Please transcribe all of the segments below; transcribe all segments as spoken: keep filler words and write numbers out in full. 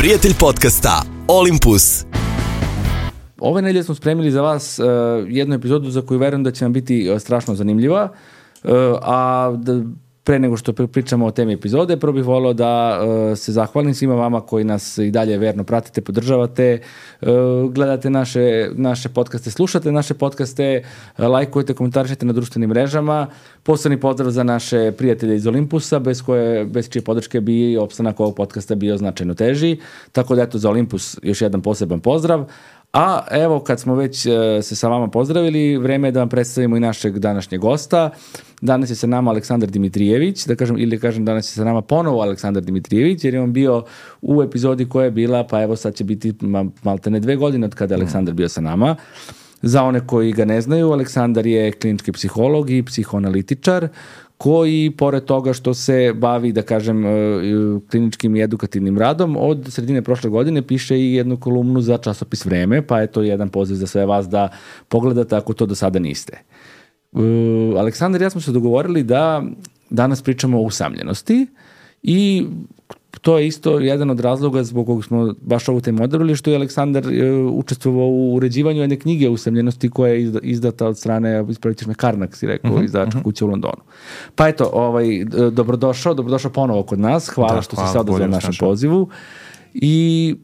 prijatelj podcasta Olympus. Ove nedelje smo spremili za vas uh, jednu epizodu za koju verujem da će vam biti uh, strašno zanimljiva, uh, a da, pre nego što pričamo o temi epizode, prvo bih volio da uh, se zahvalim svima vama koji nas i dalje verno pratite, podržavate, uh, gledate naše, naše podcaste, slušate naše podcaste, uh, lajkujete, komentarišete na društvenim mrežama. Posebni pozdrav za naše prijatelje iz Olympusa, bez koje, bez čije podrške bi opstanak ovog podcasta bio značajno teži. Tako da eto, za Olympus još jedan poseban pozdrav. A evo, kad smo već uh, se sa vama pozdravili, vreme je da vam predstavimo i našeg današnjeg gosta. Danas je sa nama Aleksandar Dimitrijević, da kažem, ili kažem danas je sa nama ponovo Aleksandar Dimitrijević, jer je on bio u epizodi koja je bila, pa evo sad će biti maltene dve godine od kada je Aleksandar bio sa nama. Za one koji ga ne znaju, Aleksandar je klinički psiholog i psihoanalitičar, koji, pored toga što se bavi, da kažem, kliničkim i edukativnim radom, od sredine prošle godine piše i jednu kolumnu za časopis Vreme, pa je to jedan poziv za sve vas da pogledate ako to do sada niste. Uh, Aleksandar i ja smo se dogovorili da danas pričamo o usamljenosti i to je isto jedan od razloga zbog kojeg smo baš ovu temu odabrali, što je Aleksandar uh, učestvovao u uređivanju jedne knjige o usamljenosti koja je izdata od strane, ispravit ćeš me, Karnak, si rekao, uh-huh, izdavačka uh-huh. kuća u Londonu. Pa eto, ovaj, dobrodošao, dobrodošao ponovo kod nas, hvala da, što hvala, si se odazvao našem pozivu. I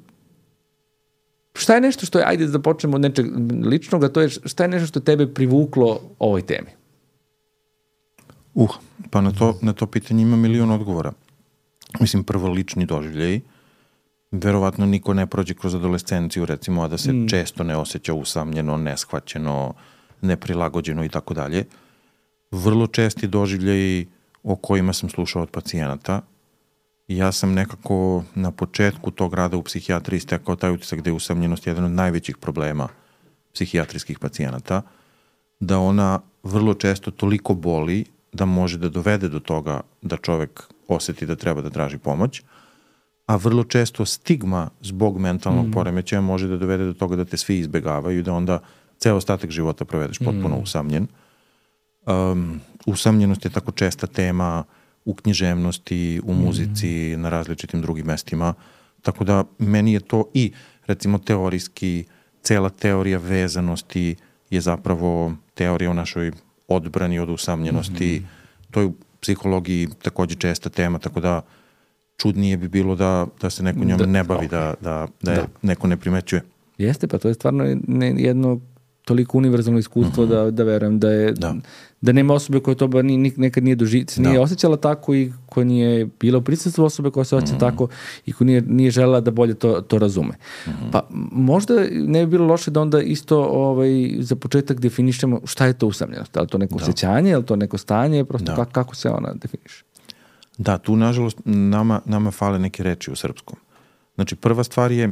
šta je nešto što je, ajde da počnemo od nečeg ličnog, a to je šta je nešto što je tebe privuklo ovoj temi? Uh, pa na to, na to pitanje ima milion odgovora. Mislim, prvo lični doživljaj. Verovatno niko ne prođe kroz adolescenciju, recimo, a da se mm. često ne osjeća usamljeno, neshvaćeno, neprilagođeno i tako dalje. Vrlo česti doživljaj o kojima sam slušao od pacijenata. Ja sam nekako na početku tog rada u psihijatriji stekao taj utisak da je usamljenost jedan od najvećih problema psihijatrijskih pacijenata, da ona vrlo često toliko boli da može da dovede do toga da čovek osjeti da treba da traži pomoć, a vrlo često stigma zbog mentalnog mm. poremećaja može da dovede do toga da te svi izbegavaju i da onda ceo ostatak života provedeš potpuno mm. usamljen. Um, usamljenost je tako česta tema u književnosti, u muzici, mm. na različitim drugim mestima, tako da meni je to i, recimo, teorijski, cela teorija vezanosti je zapravo teorija o našoj odbrani od usamljenosti, mm. to je u psihologiji takođe česta tema, tako da čudnije bi bilo da, da se neko njome da, ne bavi, da, da, da, da. neko ne primećuje. Jeste, pa to je stvarno jedno toliko univerzalno iskustvo mm-hmm. da, da verujem da je da. da nema osobe koja to ba ni, nekad nije doži, nije da. osjećala tako i koja nije bila u prisustvu osobe koja se osjeća mm-hmm. tako i koja nije, nije želela da bolje to, to razume. Mm-hmm. Pa možda ne bi bilo loše da onda isto ovaj, za početak definišemo šta je to usamljenost. Da li to neko da. osjećanje, je li to neko stanje, prosto kako, kako se ona definiše? Da, tu nažalost nama, nama fale neke reči u srpskom. Znači prva stvar je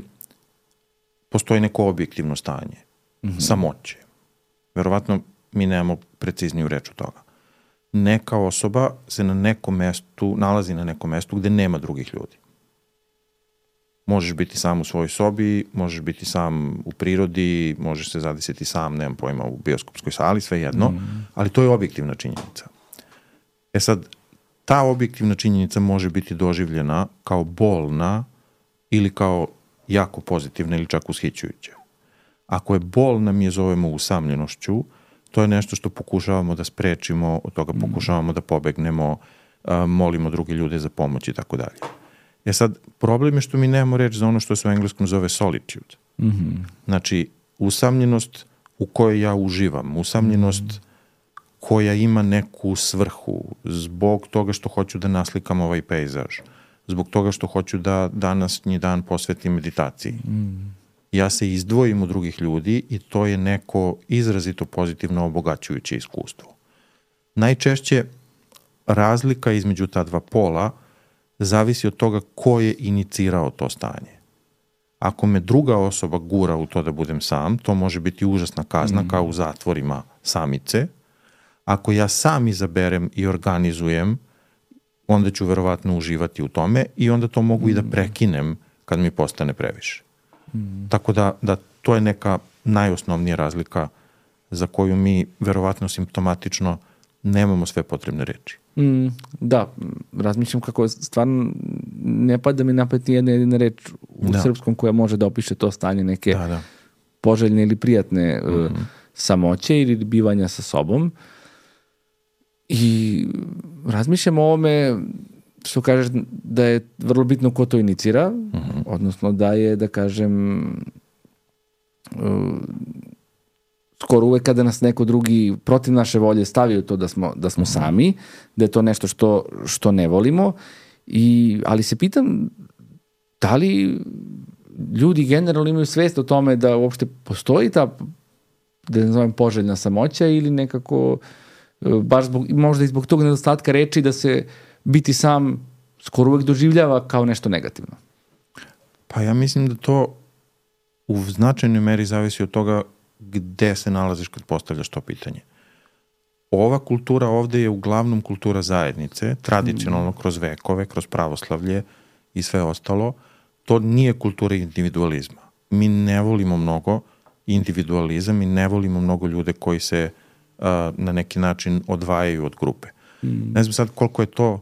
postoji neko objektivno stanje. Mm-hmm. Samoće. Verovatno mi nemamo precizniju reč od toga. Neka osoba se na nekom mestu, nalazi na nekom mestu gde nema drugih ljudi. Možeš biti sam u svojoj sobi, možeš biti sam u prirodi, možeš se zadesiti sam, nemam pojma, u bioskopskoj sali, sve jedno, mm-hmm. ali to je objektivna činjenica. E sad, ta objektivna činjenica može biti doživljena kao bolna ili kao jako pozitivna ili čak ushićujuća. Ako je bolna, mi je zovemo usamljenošću, to je nešto što pokušavamo da sprečimo, od toga pokušavamo da pobegnemo, molimo druge ljude za pomoć i tako dalje. E sad, problem je što mi nemamo reč za ono što se u engleskom zove solitude. Mm-hmm. Znači, usamljenost u kojoj ja uživam, usamljenost mm-hmm. koja ima neku svrhu, zbog toga što hoću da naslikam ovaj pejzaž, zbog toga što hoću da današnji dan posvetim meditaciji. Mm. Ja se izdvojim od drugih ljudi i to je neko izrazito pozitivno obogaćujuće iskustvo. Najčešće razlika između ta dva pola zavisi od toga ko je inicirao to stanje. Ako me druga osoba gura u to da budem sam, to može biti užasna kazna mm. kao u zatvorima samice. Ako ja sam izaberem i organizujem, onda ću verovatno uživati u tome i onda to mogu mm. i da prekinem kad mi postane previše. Mm. Tako da, da to je neka najosnovnija razlika za koju mi verovatno simptomatično nemamo sve potrebne reči. Mm, da, razmišljam kako stvarno ne pada mi napet ni jedna jedina reč u Da. srpskom koja može da opiše to stanje neke Da, da. poželjne ili prijatne uh, samoće ili bivanja sa sobom. I razmišljam o ovome što kažeš da je vrlo bitno ko to inicira, Mhm. odnosno da je, da kažem, uh, skoro uvek kada nas neko drugi protiv naše volje stavi u to da smo, da smo sami, da je to nešto što, što ne volimo. I, ali se pitam da li ljudi generalno imaju svest o tome da uopšte postoji ta, da ne zovem, poželjna samoća ili nekako uh, baš zbog, možda i zbog tog nedostatka reči da se biti sam skoro uvek doživljava kao nešto negativno. Pa ja mislim da to u značajnoj meri zavisi od toga gde se nalaziš kad postavljaš to pitanje. Ova kultura ovde je uglavnom kultura zajednice, tradicionalno kroz vekove, kroz pravoslavlje i sve ostalo. To nije kultura individualizma. Mi ne volimo mnogo individualizam i ne volimo mnogo ljude koji se uh, na neki način odvajaju od grupe. Mm. Ne znam sad koliko je to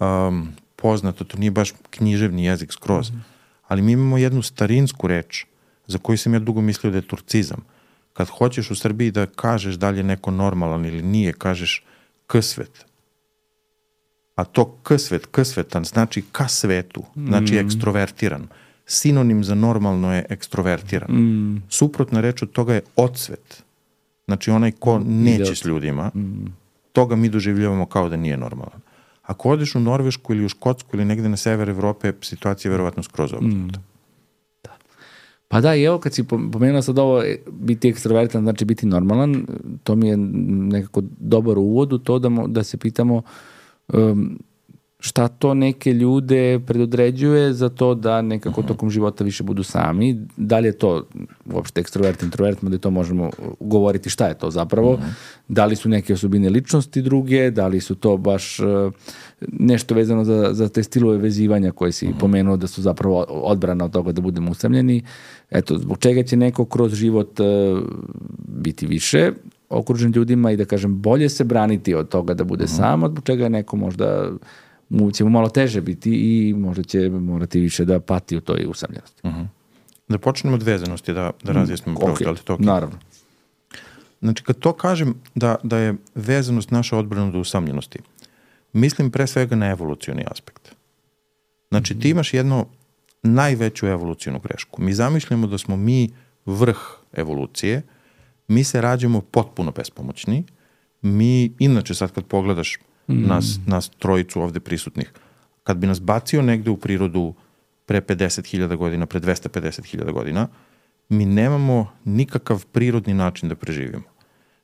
um, poznato, to nije baš književni jezik skroz, mm. ali mi imamo jednu starinsku reč za koju sam ja dugo mislio da je turcizam. Kad hoćeš u Srbiji da kažeš da li je neko normalan ili nije, kažeš ksvet. A to ksvet, ksvetan, znači ka svetu, znači Mm. ekstrovertiran. Sinonim za normalno je ekstrovertiran. Mm. Suprotna reč od toga je odsvet. Znači onaj ko neće s ljudima, Mm. toga mi doživljavamo kao da nije normalan. Ako odeš u Norvešku ili u Škotsku ili negde na sever Evrope, situacija je verovatno skroz obrnuta. Pa da, i evo kad si pomenuo sad ovo, e, biti ekstrovertan znači biti normalan, to mi je nekako dobar uvod u to da, mo, da se pitamo um, šta to neke ljude predodređuje za to da nekako tokom života više budu sami. Da li je to uopšte ekstrovert, introvert, da to možemo govoriti šta je to zapravo. Mm-hmm. Da li su neke osobine ličnosti druge, da li su to baš uh, nešto vezano za, za te stilove vezivanja koje si mm-hmm. pomenuo da su zapravo odbrana od toga da budemo usamljeni. Eto, zbog čega će neko kroz život uh, biti više okružen ljudima i da kažem bolje se braniti od toga da bude mm-hmm. sam, zbog čega je neko možda mu će mu malo teže biti i možda će morati više da pati u toj usamljenosti. Uh-huh. Da počnemo od vezanosti, da, da razjasnimo prvo, da li to okay? Naravno. Znači, kad to kažem da, da je vezanost naša odbrana od usamljenosti, mislim pre svega na evolucioni aspekt. Znači, mm-hmm. ti imaš jedno najveću evolucionu grešku. Mi zamišljamo da smo mi vrh evolucije, mi se rađamo potpuno bespomoćni, mi, inače sad kad pogledaš Nas, nas trojicu ovde prisutnih. Kad bi nas bacio negde u prirodu pre pedeset hiljada godina, pre dvesta pedeset hiljada godina, mi nemamo nikakav prirodni način da preživimo.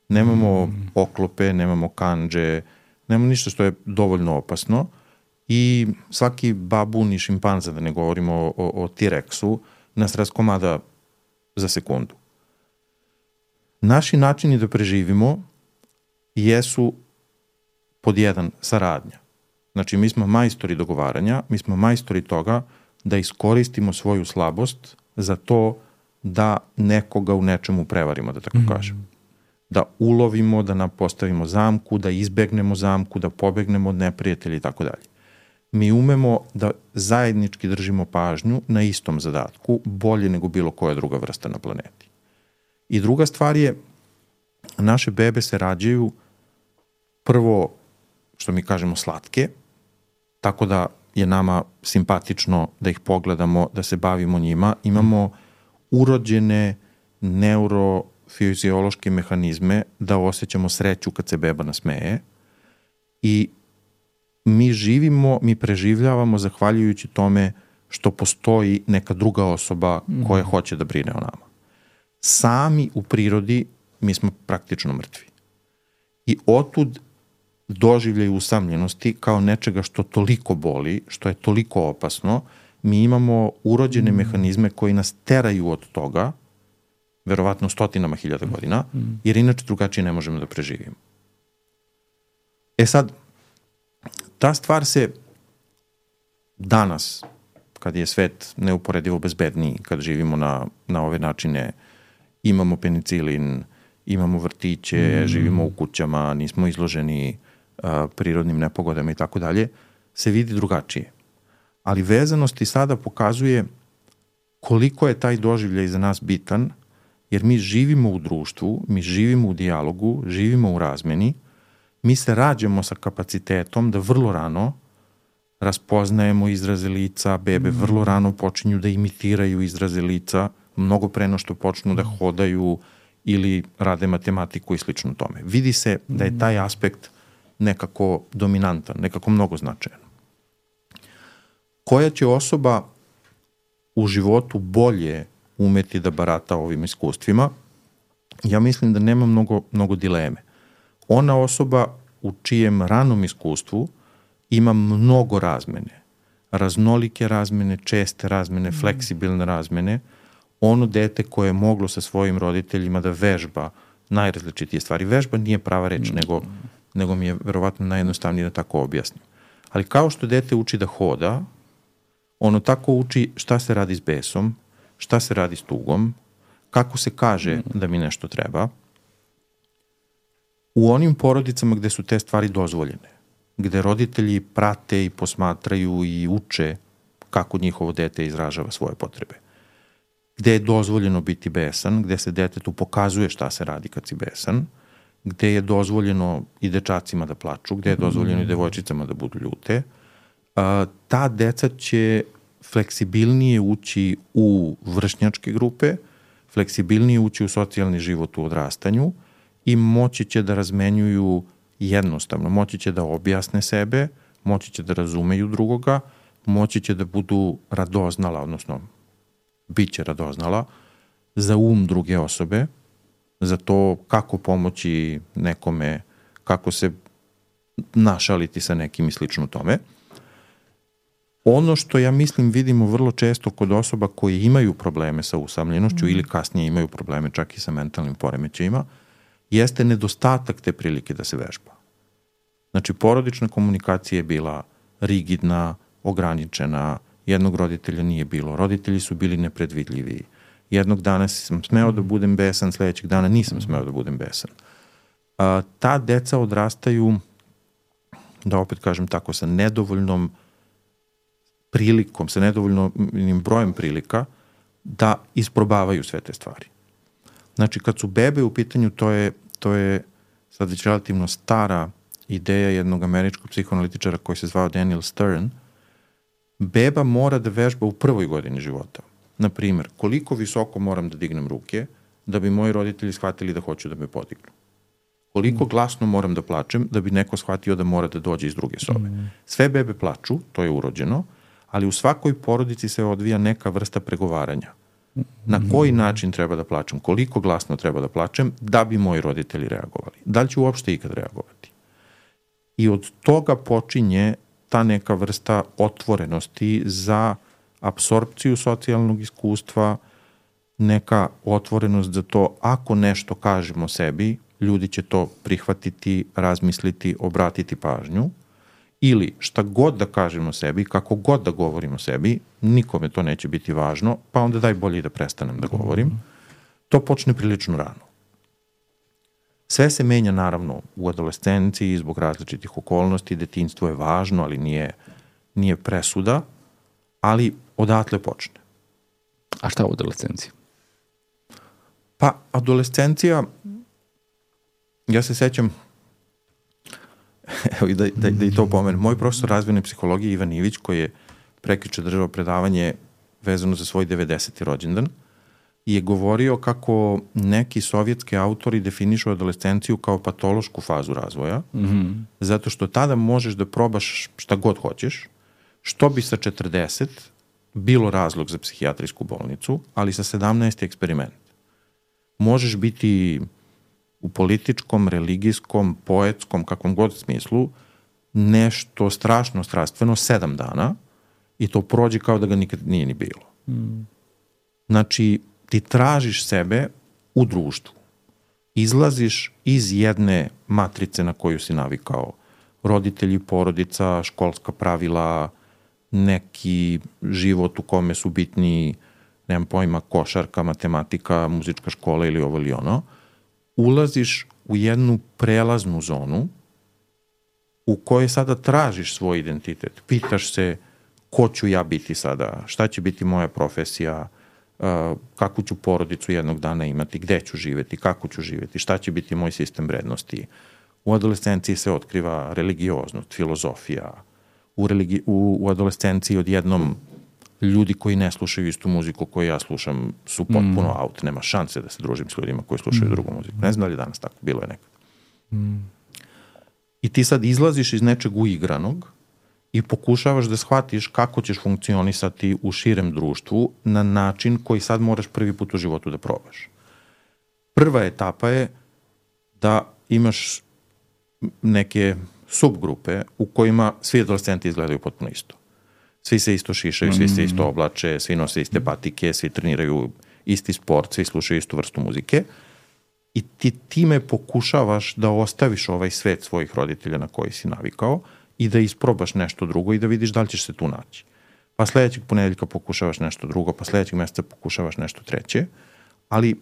Nemamo mm. oklope, nemamo kandže, nemamo ništa što je dovoljno opasno i svaki babun i šimpanza, da ne govorimo o, o, o T-Rexu, nas raskomada za sekundu. Naši načini da preživimo jesu pod jedan, saradnja. Znači, mi smo majstori dogovaranja, mi smo majstori toga da iskoristimo svoju slabost za to da nekoga u nečemu prevarimo, da tako kažem. Mm. Da ulovimo, da nam postavimo zamku, da izbegnemo zamku, da pobegnemo od neprijatelja i tako dalje. Mi umemo da zajednički držimo pažnju na istom zadatku, bolje nego bilo koja druga vrsta na planeti. I druga stvar je, naše bebe se rađaju prvo, što mi kažemo, slatke, tako da je nama simpatično da ih pogledamo, da se bavimo njima. Imamo urođene neurofiziološke mehanizme da osjećamo sreću kad se beba nasmeje i mi živimo, mi preživljavamo zahvaljujući tome što postoji neka druga osoba koja hoće da brine o nama. Sami u prirodi mi smo praktično mrtvi. I otud doživljaj usamljenosti kao nečega što toliko boli, što je toliko opasno, mi imamo urođene mm. mehanizme koji nas teraju od toga, verovatno stotinama hiljada godina, mm. jer inače drugačije ne možemo da preživimo. E sad, ta stvar se danas, kad je svet neuporedivo bezbedniji, kad živimo na, na ove načine, imamo penicilin, imamo vrtiće, mm. živimo u kućama, nismo izloženi uh, prirodnim nepogodama i tako dalje, se vidi drugačije. Ali vezanost i sada pokazuje koliko je taj doživljaj za nas bitan, jer mi živimo u društvu, mi živimo u dijalogu, živimo u razmeni, mi se rađamo sa kapacitetom da vrlo rano raspoznajemo izraze lica, bebe mm. vrlo rano počinju da imitiraju izraze lica, mnogo pre no što počnu da hodaju ili rade matematiku i slično tome. Vidi se da je taj aspekt nekako dominantan, nekako mnogo značajan. Koja će osoba u životu bolje umeti da barata ovim iskustvima? Ja mislim da nema mnogo, mnogo dileme. Ona osoba u čijem ranom iskustvu ima mnogo razmene, raznolike razmene, česte razmene, fleksibilne razmene, ono dete koje je moglo sa svojim roditeljima da vežba najrazličitije stvari. Vežba nije prava reč, mm. nego, nego mi je verovatno najjednostavnije da tako objasnim. Ali kao što dete uči da hoda, ono tako uči šta se radi s besom, šta se radi s tugom, kako se kaže mm. da mi nešto treba. U onim porodicama gde su te stvari dozvoljene, gde roditelji prate i posmatraju i uče kako njihovo dete izražava svoje potrebe, gde je dozvoljeno biti besan, gde se detetu pokazuje šta se radi kad si besan, gde je dozvoljeno i dečacima da plaču, gde je dozvoljeno i devojčicama da budu ljute, a, ta deca će fleksibilnije ući u vršnjačke grupe, fleksibilnije ući u socijalni život u odrastanju i moći će da razmenjuju jednostavno, moći će da objasne sebe, moći će da razumeju drugoga, moći će da budu radoznala, odnosno bit će radoznala za um druge osobe, za to kako pomoći nekome, kako se našaliti sa nekim i slično tome. Ono što ja mislim vidimo vrlo često kod osoba koji imaju probleme sa usamljenošću mm. ili kasnije imaju probleme čak i sa mentalnim poremećajima, jeste nedostatak te prilike da se vežba. Znači, porodična komunikacija je bila rigidna, ograničena, jednog roditelja nije bilo, roditelji su bili nepredvidljivi. Jednog dana sam smeo da budem besan, sledećeg dana nisam smeo da budem besan. A, ta deca odrastaju, da opet kažem tako, sa nedovoljnom prilikom, sa nedovoljnim brojem prilika da isprobavaju sve te stvari. Znači, kad su bebe u pitanju, to je, to je sad već relativno stara ideja jednog američkog psihoanalitičara koji se zvao Daniel Stern. Beba mora da vežba u prvoj godini života. Naprimer, koliko visoko moram da dignem ruke da bi moji roditelji shvatili da hoću da me podignu. Koliko glasno moram da plačem da bi neko shvatio da mora da dođe iz druge sobe. Sve bebe plaču, to je urođeno, ali u svakoj porodici se odvija neka vrsta pregovaranja. Na koji način treba da plačem, koliko glasno treba da plačem da bi moji roditelji reagovali. Da li ću uopšte ikad reagovati? I od toga počinje ta neka vrsta otvorenosti za apsorpciju socijalnog iskustva, neka otvorenost za to ako nešto kažemo sebi, ljudi će to prihvatiti, razmisliti, obratiti pažnju, ili šta god da kažemo sebi, kako god da govorimo sebi, nikome to neće biti važno, pa onda daj bolje da prestanem da govorim. To počne prilično rano. Sve se menja naravno u adolescenciji zbog različitih okolnosti, detinjstvo je važno, ali nije, nije presuda, ali odatle počne. A šta u adolescenciji? Pa, adolescencija, ja se sećam, evo i da, da, da i to pomenem, moj profesor razvojne psihologije Ivan Ivić, koji je prekjuče držao predavanje vezano za svoj devedeseti rođendan, je govorio kako neki sovjetski autori definišu adolescenciju kao patološku fazu razvoja, mm-hmm. zato što tada možeš da probaš šta god hoćeš, što bi sa četrdeset bilo razlog za psihijatrijsku bolnicu, ali sa sedamnaest je eksperiment. Možeš biti u političkom, religijskom, poetskom, kakvom god smislu, nešto strašno strastveno sedam dana i to prođe kao da ga nikad nije ni bilo. Mm. Znači, ti tražiš sebe u društvu. Izlaziš iz jedne matrice na koju si navikao. Roditelji, porodica, školska pravila, neki život u kome su bitni, nemam pojma, košarka, matematika, muzička škola ili ovo ili ono. Ulaziš u jednu prelaznu zonu u kojoj sada tražiš svoj identitet. Pitaš se ko ću ja biti sada, šta će biti moja profesija, uh, kakvu ću porodicu jednog dana imati, gde ću živeti, kako ću živeti, šta će biti moj sistem vrednosti. U adolescenciji se otkriva religioznost, filozofija. U, religi, u, u adolescenciji odjednom ljudi koji ne slušaju istu muziku koju ja slušam su potpuno mm. out. Nema šanse da se družim s ljudima koji slušaju mm. drugu muziku. Ne znam da li je danas tako, bilo je nekad. Mm. I ti sad izlaziš iz nečeg uigranog i pokušavaš da shvatiš kako ćeš funkcionisati u širem društvu na način koji sad moraš prvi put u životu da probaš. Prva etapa je da imaš neke subgrupe u kojima svi adolescenti izgledaju potpuno isto. Svi se isto šišaju, svi se isto oblače, svi nose iste patike, svi treniraju isti sport, svi slušaju istu vrstu muzike i ti time pokušavaš da ostaviš ovaj svet svojih roditelja na koji si navikao i da isprobaš nešto drugo i da vidiš da li ćeš se tu naći. Pa sledećeg ponedeljka pokušavaš nešto drugo, pa sledećeg meseca pokušavaš nešto treće, ali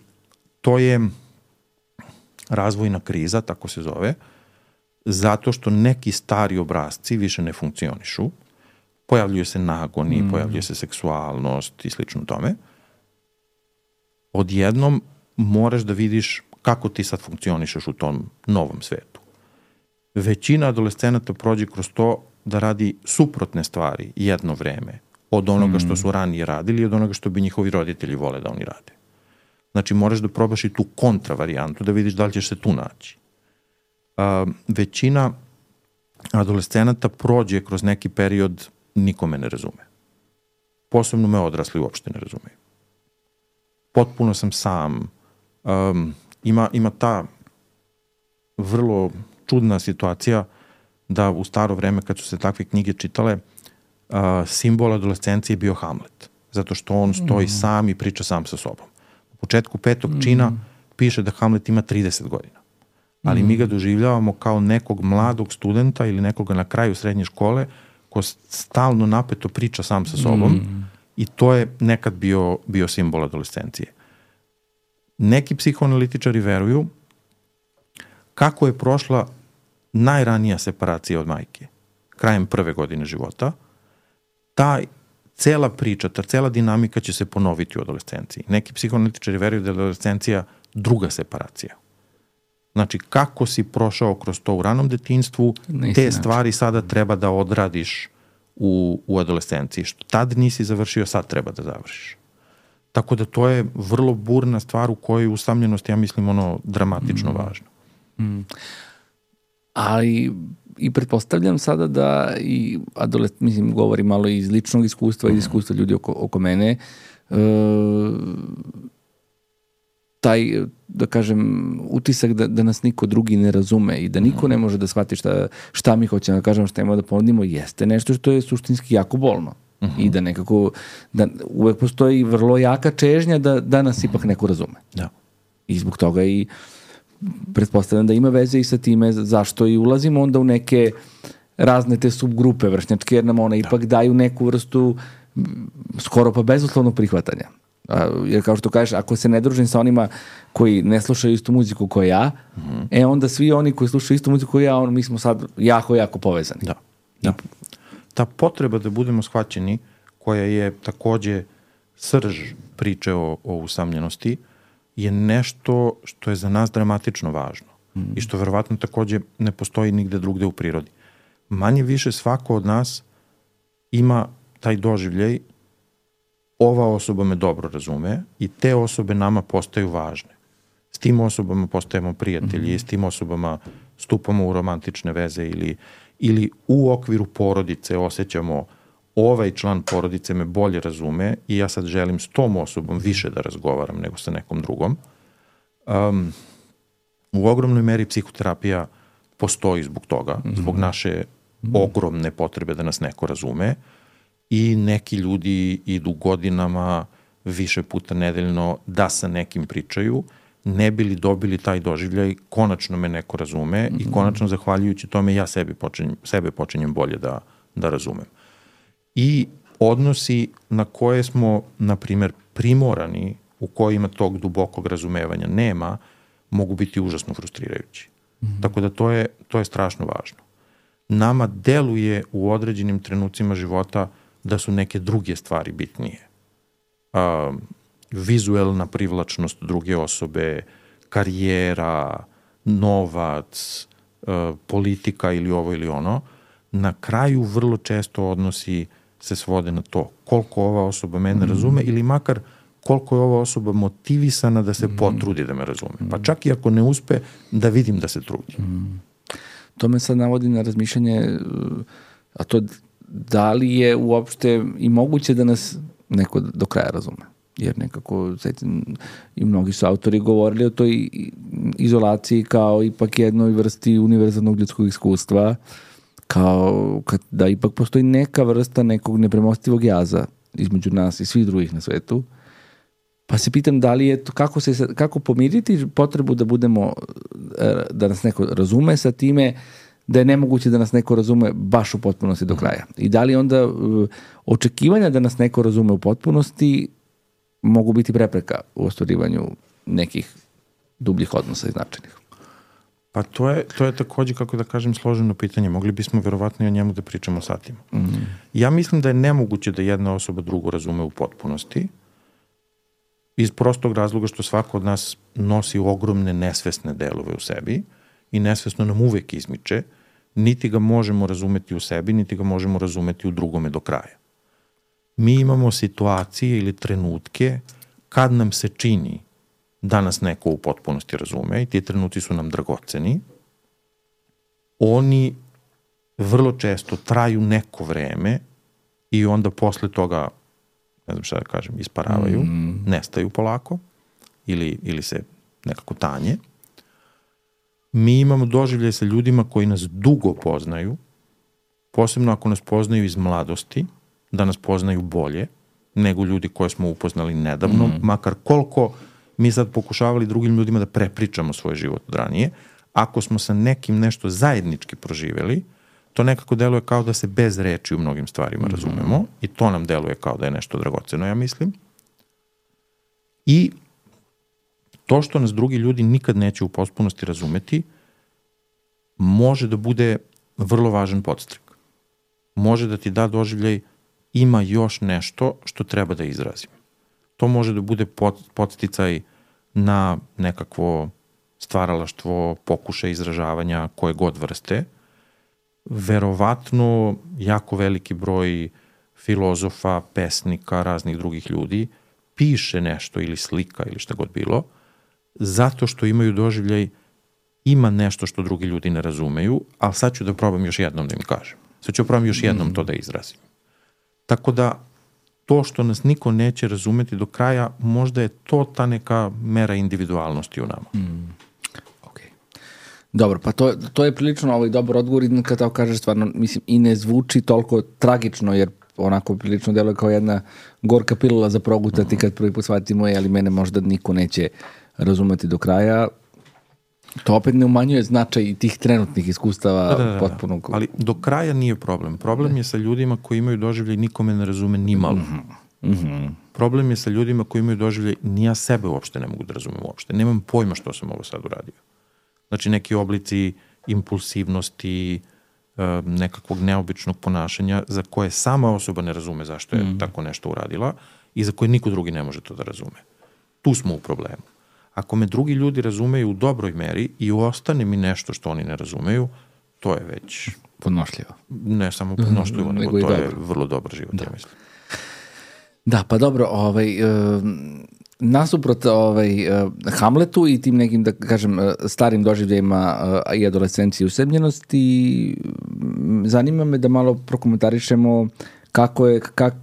to je razvojna kriza, tako se zove, zato što neki stari obrazci više ne funkcionišu, pojavljuju se nagoni, mm. pojavljuje se seksualnost i slično tome. Odjednom moraš da vidiš kako ti sad funkcionišeš u tom novom svetu. Većina adolescenata prođe kroz to da radi suprotne stvari jedno vreme od onoga što su ranije radili i od onoga što bi njihovi roditelji vole da oni rade. Znači moraš da probaš i tu kontra varijantu da vidiš da li ćeš se tu naći. Uh, većina adolescenata prođe kroz neki period nikome ne razume. Posebno me odrasli uopšte ne razumeju. Potpuno sam sam. Um, ima, ima ta vrlo čudna situacija da u staro vreme kad su se takve knjige čitale, uh, simbol adolescencije je bio Hamlet. Zato što on stoji mm. sam i priča sam sa sobom. U početku petog mm. čina piše da Hamlet ima trideset godina. Ali mm. mi ga doživljavamo kao nekog mladog studenta ili nekoga na kraju srednje škole ko stalno napeto priča sam sa sobom mm. i to je nekad bio, bio simbol adolescencije. Neki psihoanalitičari veruju kako je prošla najranija separacija od majke, krajem prve godine života, ta cela priča, ta cela dinamika će se ponoviti u adolescenciji. Neki psihoanalitičari veruju da je adolescencija druga separacija. Znači, kako si prošao kroz to u ranom detinjstvu, te stvari sada treba da odradiš u, u adolescenciji. Što tad nisi završio, sad treba da završiš. Tako da to je vrlo burna stvar u kojoj usamljenost, ja mislim, ono, dramatično mm. važno. Mm. Ali i pretpostavljam sada da i adolescent, mislim, govori malo iz ličnog iskustva mm. i iskustva ljudi oko, oko mene, e, taj, da kažem, utisak da, da nas niko drugi ne razume i da niko ne može da shvati šta, šta mi hoćemo da kažemo, šta imamo da ponudimo, jeste nešto što je suštinski jako bolno. Uh-huh. I da nekako, da uvek postoji vrlo jaka čežnja da, da nas uh-huh. ipak neko razume. Da. I zbog toga i pretpostavljam da ima veze i sa time zašto i ulazimo onda u neke razne te subgrupe vršnjačke, jer nam one da. ipak daju neku vrstu skoro pa bezuslovnog prihvatanja. A, jer kao što kažeš, ako se ne družim sa onima koji ne slušaju istu muziku kao ja, mm-hmm. e onda svi oni koji slušaju istu muziku kao ja, on, mi smo sad jako, jako povezani. Da. da. Ta potreba da budemo shvaćeni, koja je takođe srž priče o, o usamljenosti, je nešto što je za nas dramatično važno mm-hmm. i što verovatno takođe ne postoji nigde drugde u prirodi. Manje više svako od nas ima taj doživljaj, ova osoba me dobro razume i te osobe nama postaju važne. S tim osobama postajemo prijatelji mm-hmm. i s tim osobama stupamo u romantične veze ili, ili u okviru porodice osjećamo ovaj član porodice me bolje razume i ja sad želim s tom osobom više da razgovaram nego sa nekom drugom. Um, u ogromnoj meri psihoterapija postoji zbog toga, mm-hmm. zbog naše mm-hmm. ogromne potrebe da nas neko razume. I neki ljudi idu godinama više puta nedeljno da sa nekim pričaju, ne bili dobili taj doživljaj, konačno me neko razume mm-hmm. i konačno zahvaljujući tome ja sebi počinjem, sebe počinjem bolje da, da razumem. I odnosi na koje smo, na primer, primorani, u kojima tog dubokog razumevanja nema, mogu biti užasno frustrirajući. Mm-hmm. Tako da to je, to je strašno važno. Nama deluje u određenim trenucima života da su neke druge stvari bitnije. Uh, vizuelna privlačnost druge osobe, karijera, novac, uh, politika ili ovo ili ono, na kraju vrlo često odnosi se svode na to koliko ova osoba mene mm. razume ili makar koliko je ova osoba motivisana da se mm. potrudi da me razume. Pa čak i ako ne uspe, da vidim da se trudi. Mm. To me sad navodi na razmišljanje, a to da li je uopšte i moguće da nas neko do kraja razume. Jer nekako i mnogi su autori govorili o toj izolaciji kao ipak jednoj vrsti univerzalnog ljudskog iskustva, kao kad, da ipak postoji neka vrsta nekog nepremostivog jaza između nas i svih drugih na svetu. Pa se pitam da li je to, kako, se, kako pomiriti potrebu da budemo, da nas neko razume sa time da je nemoguće da nas neko razume baš u potpunosti do kraja. I da li onda očekivanja da nas neko razume u potpunosti mogu biti prepreka u ostvarivanju nekih dubljih odnosa i značajnih. Pa to je, to je takođe, kako da kažem, složeno pitanje. Mogli bismo verovatno i o njemu da pričamo satima. Mm. Ja mislim da je nemoguće da jedna osoba drugu razume u potpunosti, iz prostog razloga što svako od nas nosi ogromne nesvesne delove u sebi i nesvesno nam uvek izmiče, niti ga možemo razumeti u sebi, niti ga možemo razumeti u drugome do kraja. Mi imamo situacije ili trenutke kad nam se čini da nas neko u potpunosti razume i ti trenuci su nam dragoceni. Oni vrlo često traju neko vreme i onda posle toga, ne znam šta da kažem, isparavaju, mm. nestaju polako ili, ili se nekako tanje. Mi imamo doživlje sa ljudima koji nas dugo poznaju, posebno ako nas poznaju iz mladosti, da nas poznaju bolje nego ljudi koje smo upoznali nedavno, mm. makar koliko mi sad pokušavali drugim ljudima da prepričamo svoj život od ranije. Ako smo sa nekim nešto zajednički proživeli, to nekako deluje kao da se bez reči u mnogim stvarima razumemo mm. i to nam deluje kao da je nešto dragoceno, ja mislim. I to što nas drugi ljudi nikad neće u potpunosti razumeti, može da bude vrlo važan podstrek. Može da ti da doživljaj ima još nešto što treba da izrazim. To može da bude podsticaj na nekakvo stvaralaštvo, pokušaj izražavanja koje god vrste. Verovatno jako veliki broj filozofa, pesnika, raznih drugih ljudi piše nešto ili slika ili šta god bilo, zato što imaju doživljaj ima nešto što drugi ljudi ne razumeju, ali sad ću da probam još jednom da im kažem. Sad ću probam još jednom mm. to da izrazim. Tako da to što nas niko neće razumeti do kraja, možda je to ta neka mera individualnosti u nama. Mm. Okay. Dobro, pa to, to je prilično ovaj dobar odgovor i kad tako kažeš stvarno, mislim, i ne zvuči toliko tragično, jer onako prilično deluje kao jedna gorka pilula za progutati kad prvi put shvatimo je, ali mene možda niko neće razumeti do kraja. To opet ne umanjuje značaj tih trenutnih iskustava da, da, da, potpuno... Ali do kraja nije problem. Problem je sa ljudima koji imaju doživljaj nikome ne razume ni malo. Mm-hmm. Mm-hmm. Problem je sa ljudima koji imaju doživljaj ni ja sebe uopšte ne mogu da razumem uopšte. Nemam pojma što sam ovo sad uradio. Znači neki oblici impulsivnosti, nekakvog neobičnog ponašanja za koje sama osoba ne razume zašto je mm. tako nešto uradila i za koje niko drugi ne može to da razume. Tu smo u problemu. Ako me drugi ljudi razumeju u dobroj meri i ostane mi nešto što oni ne razumeju, to je već... Podnošljivo. Ne samo podnošljivo, mm, nego, nego to dobro. Je vrlo dobar život, da. Ja mislim. Da, pa dobro, ovaj, uh, nasuprot ovaj, uh, Hamletu i tim nekim, da kažem, uh, starim doživljajima uh, i adolescenciji usamljenosti, zanima me da malo prokomentarišemo kako je, kak,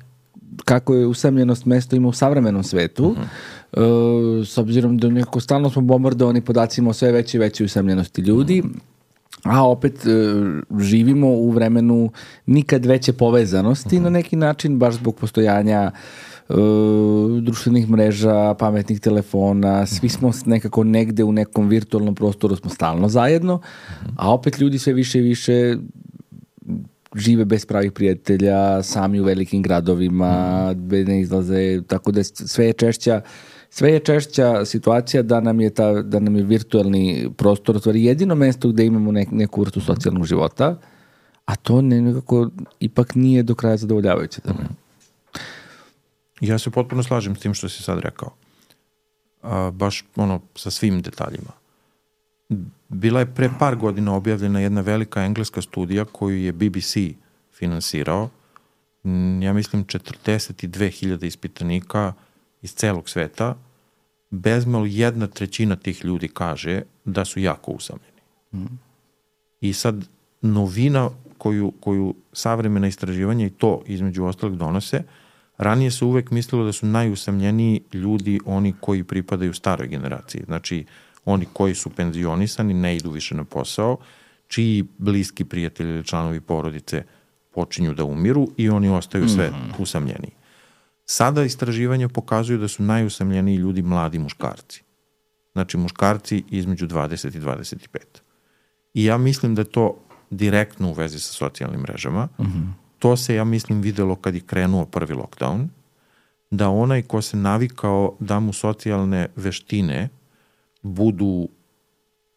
kako je usamljenost mesto ima u savremenom svetu, mm-hmm. Uh, s obzirom da nekako stalno smo bombardovani podacima o sve veće i veće usamljenosti ljudi, a opet uh, živimo u vremenu nikad veće povezanosti uh-huh. na neki način, baš zbog postojanja uh, društvenih mreža, pametnih telefona, svi smo nekako negde u nekom virtualnom prostoru, smo stalno zajedno, uh-huh. a opet ljudi sve više i više žive bez pravih prijatelja, sami u velikim gradovima, uh-huh. ne izlaze, tako da sve je češća Sve je češća situacija da nam je, ta, da nam je virtualni prostor stvari jedino mesto gde imamo nek, neku vrstu socijalnog života, a to ne, nekako ipak nije do kraja zadovoljavajuće. Da ne? Ja se potpuno slažem s tim što si sad rekao. a, baš ono sa svim detaljima. Bila je pre par godina objavljena jedna velika engleska studija koju je B B C finansirao. Ja mislim četrdeset dve hiljade ispitanika iz celog sveta. Bezmalo jedna trećina tih ljudi kaže da su jako usamljeni. Mm. I sad novina koju, koju savremena istraživanja i to između ostalog donose, ranije se uvek mislilo da su najusamljeniji ljudi oni koji pripadaju staroj generaciji. Znači, oni koji su penzionisani, ne idu više na posao, čiji bliski prijatelji ili članovi porodice počinju da umiru i oni ostaju sve mm. usamljeniji. Sada istraživanja pokazuju da su najusamljeniji ljudi mladi muškarci. Znači, muškarci između dvadeset i dvadeset pet. I ja mislim da je to direktno u vezi sa socijalnim mrežama. Mm-hmm. To se, ja mislim, videlo kad je krenuo prvi lockdown, da onaj ko se navikao da mu socijalne veštine budu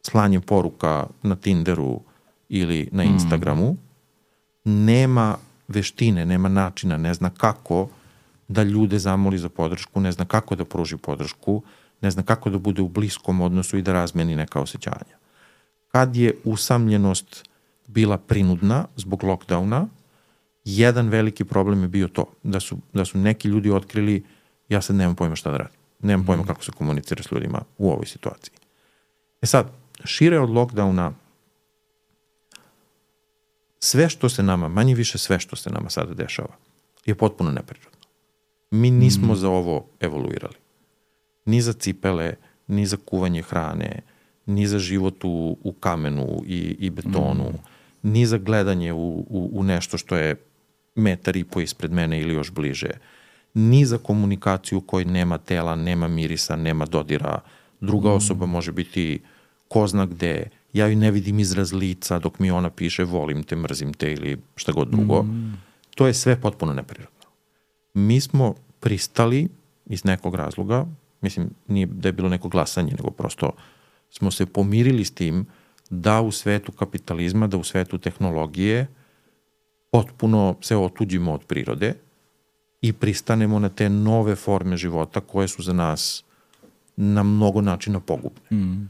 slanje poruka na Tinderu ili na Instagramu, mm. nema veštine, nema načina, ne zna kako da ljude zamoli za podršku, ne zna kako da pruži podršku, ne zna kako da bude u bliskom odnosu i da razmeni neka osjećanja. Kad je usamljenost bila prinudna zbog lockdowna, jedan veliki problem je bio to, da su, da su neki ljudi otkrili, ja sad nemam pojma šta da radim, nemam pojma kako se komunicira s ljudima u ovoj situaciji. E sad, šire od lockdowna, sve što se nama, manje više sve što se nama sada dešava, je potpuno neprirodno. Mi nismo mm. za ovo evoluirali. Ni za cipele, ni za kuvanje hrane, ni za život u, u kamenu i, i betonu, mm. ni za gledanje u, u, u nešto što je metar i po ispred mene ili još bliže, ni za komunikaciju u kojoj nema tela, nema mirisa, nema dodira, druga mm. osoba može biti ko zna gde, ja ju ne vidim izraz lica dok mi ona piše volim te, mrzim te ili šta god drugo. Mm. To je sve potpuno neprirodno. Mi smo pristali iz nekog razloga, mislim, nije da je bilo neko glasanje, nego prosto smo se pomirili s tim da u svetu kapitalizma, da u svetu tehnologije potpuno se otuđimo od prirode i pristanemo na te nove forme života koje su za nas na mnogo načina pogubne. Mm.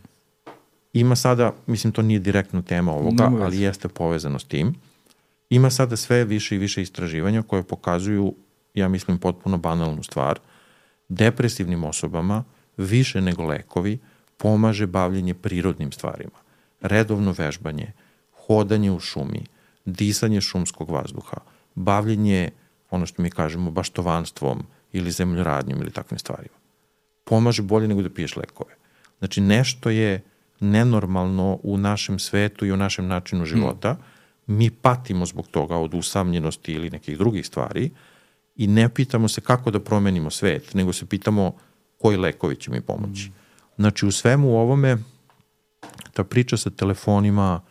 Ima sada, mislim, to nije direktno tema ovoga, no, ali jeste povezano s tim, ima sada sve više i više istraživanja koje pokazuju, ja mislim, potpuno banalnu stvar. Depresivnim osobama više nego lekovi pomaže bavljenje prirodnim stvarima. Redovno vežbanje, hodanje u šumi, disanje šumskog vazduha, bavljenje, ono što mi kažemo, baštovanstvom ili zemljoradnjom ili takvim stvarima. Pomaže bolje nego da piješ lekove. Znači, nešto je nenormalno u našem svetu i u našem načinu života. Hmm. Mi patimo zbog toga od usamljenosti ili nekih drugih stvari i ne pitamo se kako da promenimo svet, nego se pitamo koji lekovi će mi pomoći. Hmm. Znači, u svemu ovome, ta priča sa telefonima,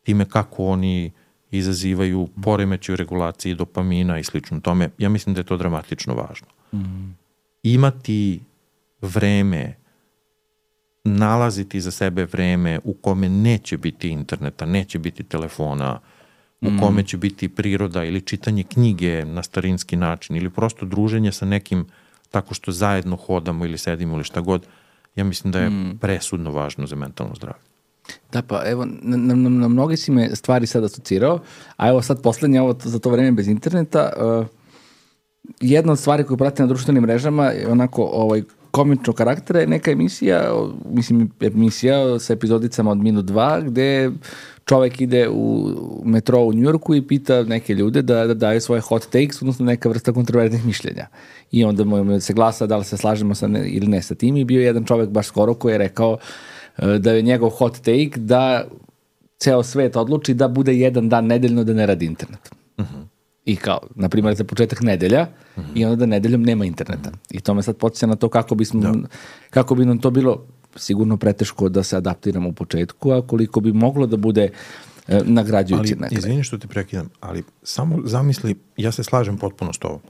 time kako oni izazivaju poremećaj u regulaciji dopamina i slično tome, ja mislim da je to dramatično važno. Mm. Imati vreme, nalaziti za sebe vreme u kome neće biti interneta, neće biti telefona, u mm. kome će biti priroda ili čitanje knjige na starinski način ili prosto druženje sa nekim tako što zajedno hodamo ili sedimo ili šta god, ja mislim da je mm. presudno važno za mentalno zdravlje. Da, pa evo, na, na, na mnogi si me stvari sad asocirao, a evo sad poslednje ovo za to vreme bez interneta, uh, jedna od stvari koju pratim na društvenim mrežama je onako ovaj, komičnog karaktera je neka emisija, mislim emisija sa epizodicama od minut dva, gde čovek ide u metro u Njujorku i pita neke ljude da, da daju svoje hot takes, odnosno neka vrsta kontroverznih mišljenja. I onda mu se glasa da li se slažemo sa ne, ili ne sa tim i bio je jedan čovek baš skoro koji je rekao da je njegov hot take da ceo svet odluči da bude jedan dan nedeljno da ne radi internet. Uh-huh. I kao, na primjer, za početak nedelja uh-huh. i onda da nedeljom nema interneta. Uh-huh. I to me sad podsjeća na to kako, bismo, da. kako bi nam to bilo sigurno preteško da se adaptiramo u početku, a koliko bi moglo da bude e, nagrađujući. Ali, izvini što ti prekidam, ali samo zamisli, ja se slažem potpuno s tobom.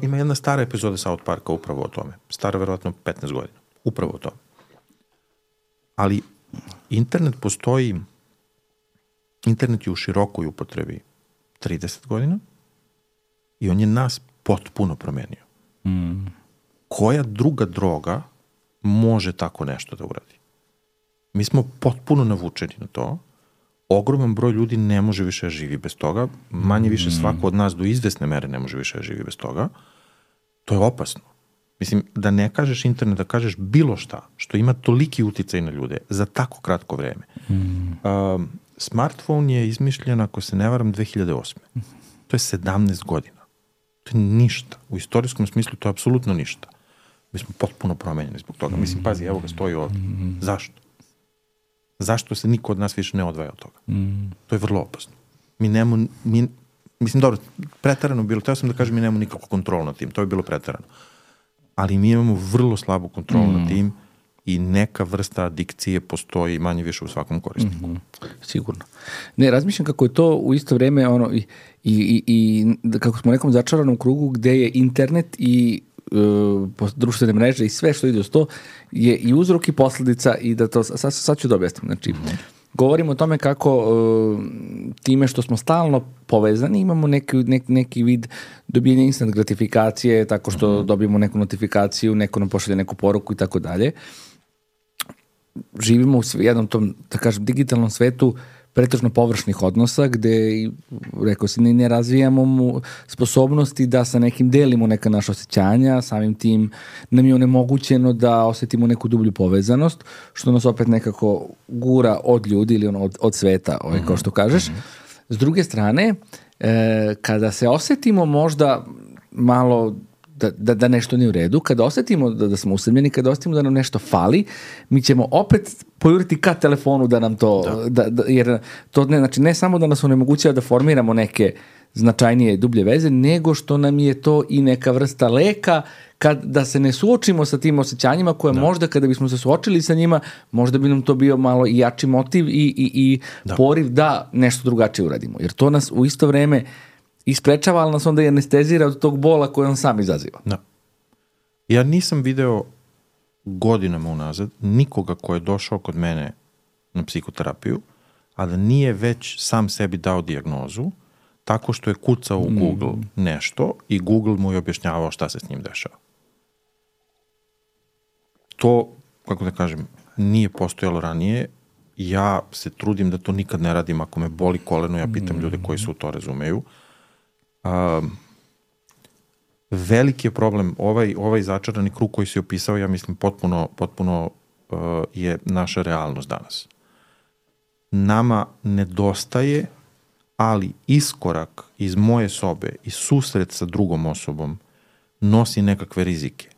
Ima jedna stara epizoda South Parka upravo o tome. Stara verovatno petnaest godina. Upravo o tome. Ali internet postoji, internet je u širokoj upotrebi trideset godina i on je nas potpuno promenio. Mm. Koja druga droga može tako nešto da uradi. Mi smo potpuno navučeni na to. Ogroman broj ljudi ne može više da živi bez toga. Manje više svako od nas do izvesne mere ne može više da živi bez toga. To je opasno. Mislim, da ne kažeš internet, da kažeš bilo šta, što ima toliki uticaj na ljude za tako kratko vreme. Mm. Um, smartphone je izmišljen, ako se ne varam, dve hiljade osme. To je sedamnaest godina. To je ništa. U istorijskom smislu to je apsolutno ništa. Mi smo potpuno promenjeni zbog toga. Mislim, pazi, evo ga, stoji ovdje. Zašto? Zašto se niko od nas više ne odvaja od toga? Mm. To je vrlo opasno. Mi nemo, mi, mislim, dobro, preterano bilo, teo sam da kažem mi nemamo nikakvu kontrolu nad tim, to je bilo preterano. Ali mi imamo vrlo slabu kontrolu mm. nad tim i neka vrsta adikcije postoji manje više u svakom korisniku. Mm-hmm. Sigurno. Ne, razmišljam kako je to u isto vreme ono, i, i, i kako smo u nekom začaranom krugu gde je internet i uh, društvene mreže i sve što ide uz to je i uzrok i posledica i da to, sad, sad ću da objasnim. Znači, mm-hmm. govorimo o tome kako uh, time što smo stalno povezani imamo neki, neki, neki vid dobijanja instant gratifikacije, tako što mm-hmm. dobijemo neku notifikaciju, neko nam pošalje neku poruku i tako dalje. Živimo u jednom tom, da kažem, digitalnom svetu pretežno površnih odnosa, gde, rekao si, ne, ne razvijamo mu sposobnosti da sa nekim delimo neka naša osjećanja, samim tim nam je onemogućeno da osetimo neku dublju povezanost, što nas opet nekako gura od ljudi ili ono, od, od sveta, ovaj, mm-hmm. kao što kažeš. S druge strane, e, kada se osetimo možda malo Da, da, da nešto nije u redu, kada osetimo da, da smo usamljeni, kada osetimo da nam nešto fali, mi ćemo opet pojuriti ka telefonu da nam to, da. Da, da, jer to ne, znači ne samo da nas onemogućava da formiramo neke značajnije dublje veze, nego što nam je to i neka vrsta leka kad, da se ne suočimo sa tim osjećanjima koje da. Možda kada bismo se suočili sa njima, možda bi nam to bio malo i jači motiv i, i, i da. Poriv da nešto drugačije uradimo. Jer to nas u isto vreme isprečava, ali nas onda i anestezira od tog bola koje on sam izaziva. Da. Ja nisam video godinama unazad nikoga ko je došao kod mene na psihoterapiju, a da nije već sam sebi dao dijagnozu tako što je kucao u Google mm. nešto i Google mu je objašnjavao šta se s njim dešava. To, kako da kažem, nije postojalo ranije. Ja se trudim da to nikad ne radim. Ako me boli koleno, ja pitam mm. ljude koji se u to razumeju. Um, veliki je problem, ovaj, ovaj začarani krug koji si opisao, ja mislim potpuno, potpuno uh, je naša realnost danas. Nama nedostaje, ali iskorak iz moje sobe i susret sa drugom osobom nosi nekakve rizike.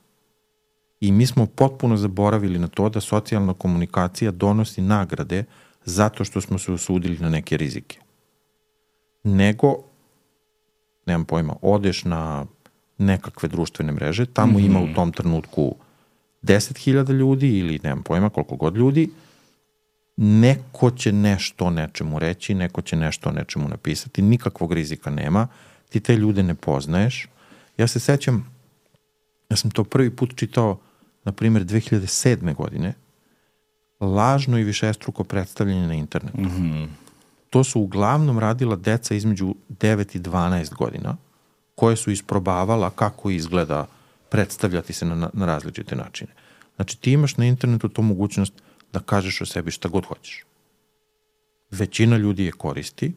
I mi smo potpuno zaboravili na to da socijalna komunikacija donosi nagrade zato što smo se usudili na neke rizike. Nego nemam pojma, odeš na nekakve društvene mreže, tamo mm-hmm. ima u tom trenutku deset hiljada ljudi ili nemam pojma koliko god ljudi, neko će nešto o nečemu reći, neko će nešto o nečemu napisati, nikakvog rizika nema, ti te ljude ne poznaješ. Ja se sećam, ja sam to prvi put čitao, na primjer, dve hiljade sedme godine, lažno i višestruko predstavljanje na internetu. Mm-hmm. To su uglavnom radila deca između devet i dvanaest godina, koje su isprobavala kako izgleda predstavljati se na, na različite načine. Znači, ti imaš na internetu tu mogućnost da kažeš o sebi šta god hoćeš. Većina ljudi je koristi,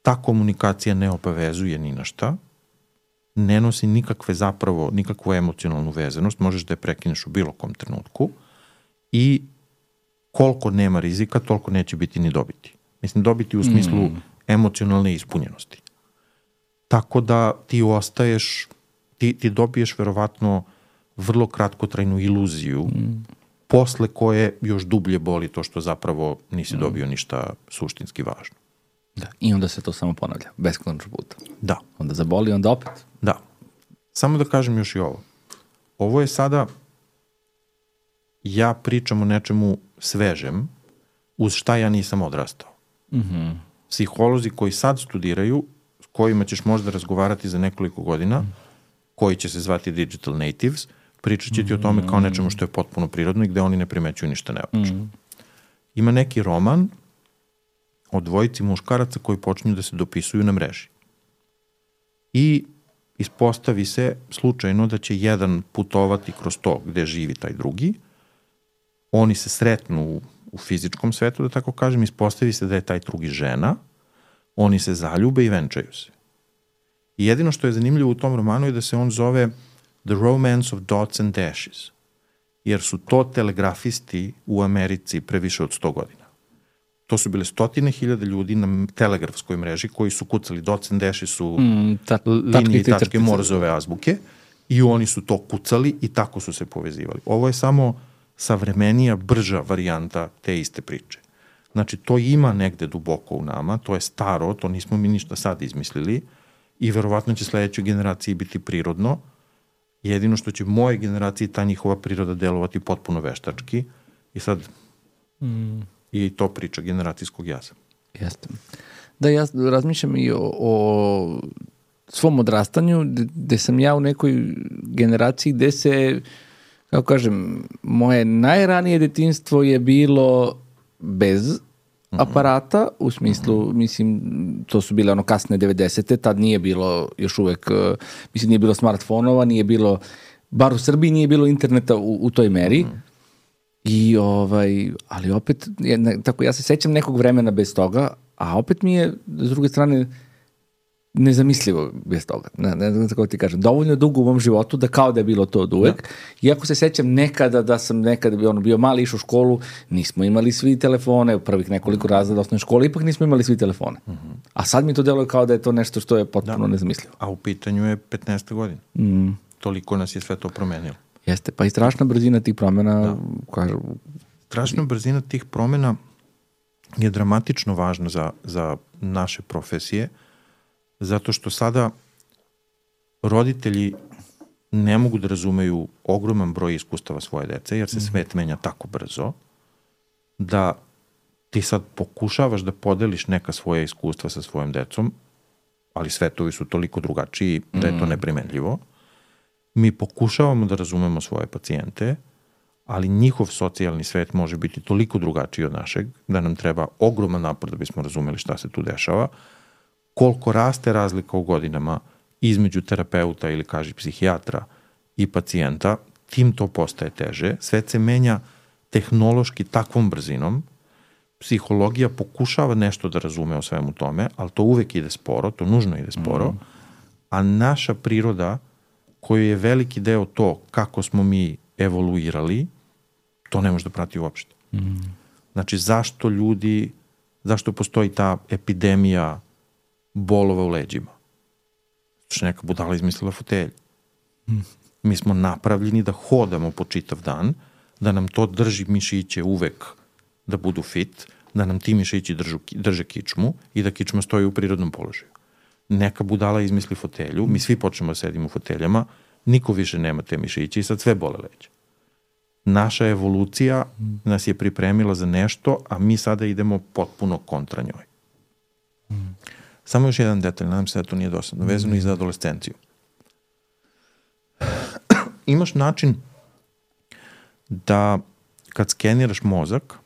ta komunikacija ne obavezuje ni na šta, ne nosi nikakve zapravo, nikakvu emocionalnu vezanost, možeš da je prekineš u bilo kom trenutku i koliko nema rizika, toliko neće biti ni dobiti. Mislim, dobiti u smislu mm. emocionalne ispunjenosti. Tako da ti ostaješ, ti, ti dobiješ verovatno vrlo kratkotrajnu iluziju, mm. posle koje još dublje boli to što zapravo nisi mm. dobio ništa suštinski važno. Da. I onda se to samo ponavlja, beskonačno puta. Da. Onda zaboli, onda opet. Da. Samo da kažem još i ovo. Ovo je sada, ja pričam o nečemu svežem, uz šta ja nisam odrastao. Mm-hmm. Psiholozi koji sad studiraju, s kojima ćeš možda razgovarati za nekoliko godina, mm. koji će se zvati digital natives, pričat će ti mm-hmm. o tome kao nečemu što je potpuno prirodno i gde oni ne primećuju ništa neobično. Mm. Ima neki roman o dvojici muškaraca koji počinju da se dopisuju na mreži. I ispostavi se slučajno da će jedan putovati kroz to gde živi taj drugi, oni se sretnu u, u fizičkom svetu, da tako kažem, ispostavi se da je taj drugi žena, oni se zaljube i venčaju se. I jedino što je zanimljivo u tom romanu je da se on zove The Romance of Dots and Dashes, jer su to telegrafisti u Americi pre više od sto godina. To su bile stotine hiljada ljudi na telegrafskoj mreži koji su kucali, dots and dashes su mm, ta, linije i tačke Morzove azbuke, i oni su to kucali i tako su se povezivali. Ovo je samo savremenija, brža varijanta te iste priče. Znači, to ima negde duboko u nama, to je staro, to nismo mi ništa sad izmislili i verovatno će sledećoj generaciji biti prirodno. Jedino što će moje generaciji ta njihova priroda delovati potpuno veštački i sad mm. i to priča generacijskog jaza. Jeste. Da, ja razmišljam i o, o svom odrastanju, gde sam ja u nekoj generaciji gde se, kako kažem, moje najranije detinjstvo je bilo bez aparata, u smislu, mm-hmm. mislim, to su bile ono kasne devedesete, tad nije bilo još uvek, mislim, nije bilo smartfonova, nije bilo, bar u Srbiji nije bilo interneta u, u toj meri. Mm-hmm. I ovaj, ali opet, tako ja se sećam nekog vremena bez toga, a opet mi je, s druge strane, nezamislivo bez toga. Ne, ne znam kako ti kažem. Dovoljno dugo u mom životu da kao da je bilo to od uvek. Da. Iako se sećam nekada da sam nekada bio, ono, bio mali, išao u školu, nismo imali svi telefone, u prvih nekoliko razreda osnovne škole, ipak nismo imali svi telefone. Uh-huh. A sad mi to deluje kao da je to nešto što je potpuno da. nezamislivo. A u pitanju je petnaesta godina. Mm. Toliko nas je sve to promenilo. Jeste, pa i strašna brzina tih promjena. Da. Kažu, strašna brzina tih promjena je dramatično važna za, za naše profesije, zato što sada roditelji ne mogu da razumeju ogroman broj iskustava svoje dece, jer se mm-hmm. svet menja tako brzo, da ti sad pokušavaš da podeliš neka svoja iskustva sa svojom decom, ali svetovi su toliko drugačiji da je to neprimenljivo. Mi pokušavamo da razumemo svoje pacijente, ali njihov socijalni svet može biti toliko drugačiji od našeg, da nam treba ogroman napor da bismo razumeli šta se tu dešava. Koliko raste razlika u godinama između terapeuta ili, kaži, psihijatra i pacijenta, tim to postaje teže. Svet se menja tehnološki takvom brzinom. Psihologija pokušava nešto da razume o svemu tome, ali to uvek ide sporo, to nužno ide sporo, mm. a naša priroda, koji je veliki deo to kako smo mi evoluirali, to ne može da prati uopšte. Mm. Znači, zašto ljudi, zašto postoji ta epidemija bolova u leđima? Što neka budala izmislila fotelj. Mm. Mi smo napravljeni da hodamo po čitav dan, da nam to drži mišiće uvek da budu fit, da nam ti mišići držu, drže kičmu i da kičma stoji u prirodnom položaju. Neka budala izmisli fotelju, mi svi počnemo da sedimo u foteljama, niko više nema te mišiće i sad sve bole leđa. Naša evolucija nas je pripremila za nešto, a mi sada idemo potpuno kontra njoj. Mm. Samo još jedan detalj, nadam se da to nije dosadno, vezano mm. i za adolescenciju. Imaš način da kad skeniraš mozak,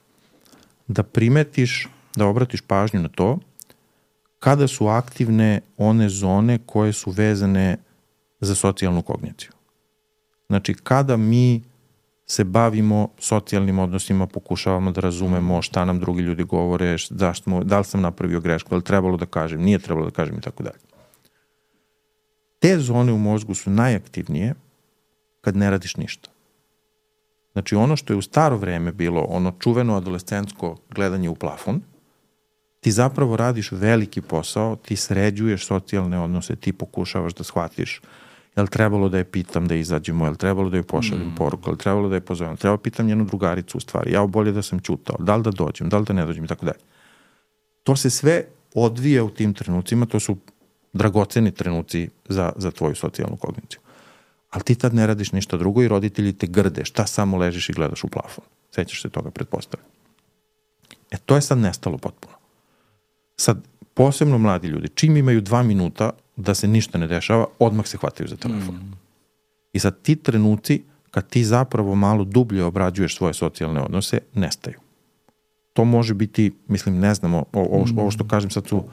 da primetiš, da obratiš pažnju na to kada su aktivne one zone koje su vezane za socijalnu kogniciju. Znači, kada mi se bavimo socijalnim odnosima, pokušavamo da razumemo šta nam drugi ljudi govore, zašto, da li sam napravio grešku, da li trebalo da kažem, nije trebalo da kažem i tako dalje. Te zone u mozgu su najaktivnije kad ne radiš ništa. Znači, ono što je u staro vreme bilo, ono čuveno adolescentsko gledanje u plafon, ti zapravo radiš veliki posao, ti sređuješ socijalne odnose, ti pokušavaš da shvatiš je li trebalo da je pitam da izađemo, je li trebalo da je pošaljem mm. poruku, je li trebalo da je pozovem, treba pitam njenu drugaricu u stvari, ja bolje da sam ćutao, da li da dođem, da li da ne dođem i tako dalje. To se sve odvija u tim trenucima, to su dragoceni trenuci za, za tvoju socijalnu kogniciju. Ali ti tad ne radiš ništa drugo i roditelji te grde, šta samo ležiš i gledaš u plafon. Sećaš se toga, pretpostavljam. E, to je sad nestalo potpuno. Sad, posebno mladi ljudi, čim imaju dva minuta da se ništa ne dešava, odmah se hvataju za telefon. Mm. I sad ti trenuci, kad ti zapravo malo dublje obrađuješ svoje socijalne odnose, nestaju. To može biti, mislim, ne znamo, ovo, ovo što kažem sad su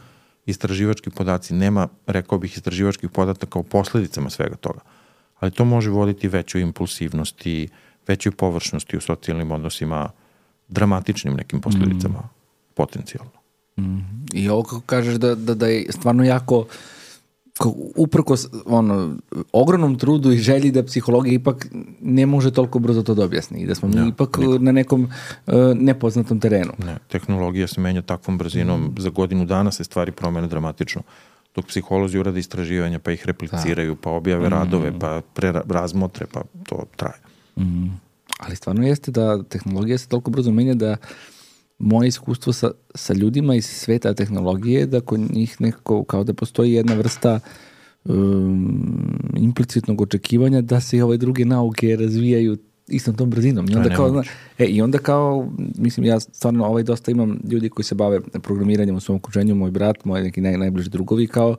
istraživački podaci, nema, rekao bih, istraživačkih podataka o posledicama svega toga. Ali to može voditi većoj impulsivnosti, većoj površnosti u socijalnim odnosima, dramatičnim nekim posledicama, mm. potencijalno. Mm. I ovo kako kažeš da, da, da je stvarno jako uprkos ono, ogromnom trudu i želji da psihologija ipak ne može toliko brzo to da objasni i da smo mi ja, ipak nikako. Na nekom uh, nepoznatom terenu. Ne, tehnologija se menja takvom brzinom, mm. za godinu dana se stvari promene dramatično. Dok psiholozi urade istraživanja, pa ih repliciraju, da. Pa objave mm. radove, pa pre, razmotre, pa to traje. Mm. Ali stvarno jeste da tehnologija se toliko brzo menja da moje iskustvo sa, sa ljudima iz sveta tehnologije, da kod njih nekako kao da postoji jedna vrsta um, implicitnog očekivanja da se i ove druge nauke razvijaju istom tom brzinom. I onda, kao, zna, e, I onda kao, mislim, ja stvarno ovaj dosta imam ljudi koji se bave programiranjem u svom okruženju, moj brat, moji neki naj, najbliži drugovi, kao,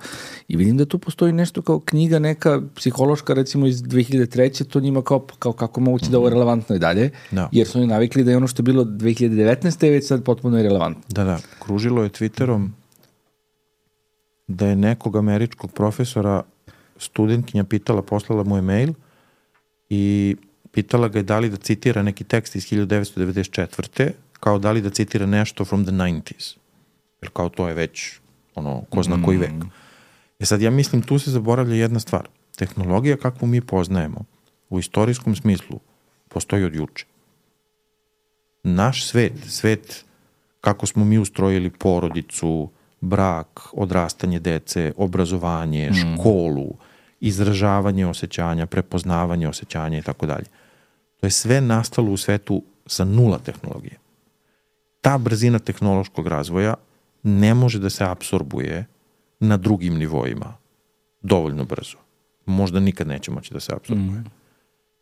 i vidim da tu postoji nešto kao knjiga neka psihološka, recimo iz dve hiljade treće, to njima kao, kao kako moguće mm-hmm. da ovo je relevantno i dalje, da. Jer su oni navikli da je ono što je bilo dve hiljade devetnaeste već sad potpuno irelevantno. Da, da, kružilo je Twitterom da je nekog američkog profesora studentkinja pitala, poslala mu je mail i pitala ga je da li da citira neki tekst iz hiljadu devetsto devedeset četvrte kao da li da citira nešto from the nineties. Jer kao to je već ono, ko zna koji vek. E sad ja mislim tu se zaboravlja jedna stvar. Tehnologija kakvu mi poznajemo u istorijskom smislu postoji od juče. Naš svet, svet kako smo mi ustrojili porodicu, brak, odrastanje dece, obrazovanje, školu, izražavanje osjećanja, prepoznavanje osjećanja i tako dalje. To je sve nastalo u svetu sa nula tehnologije. Ta brzina tehnološkog razvoja ne može da se apsorbuje na drugim nivoima dovoljno brzo. Možda nikad neće moći da se apsorbuje. Mm.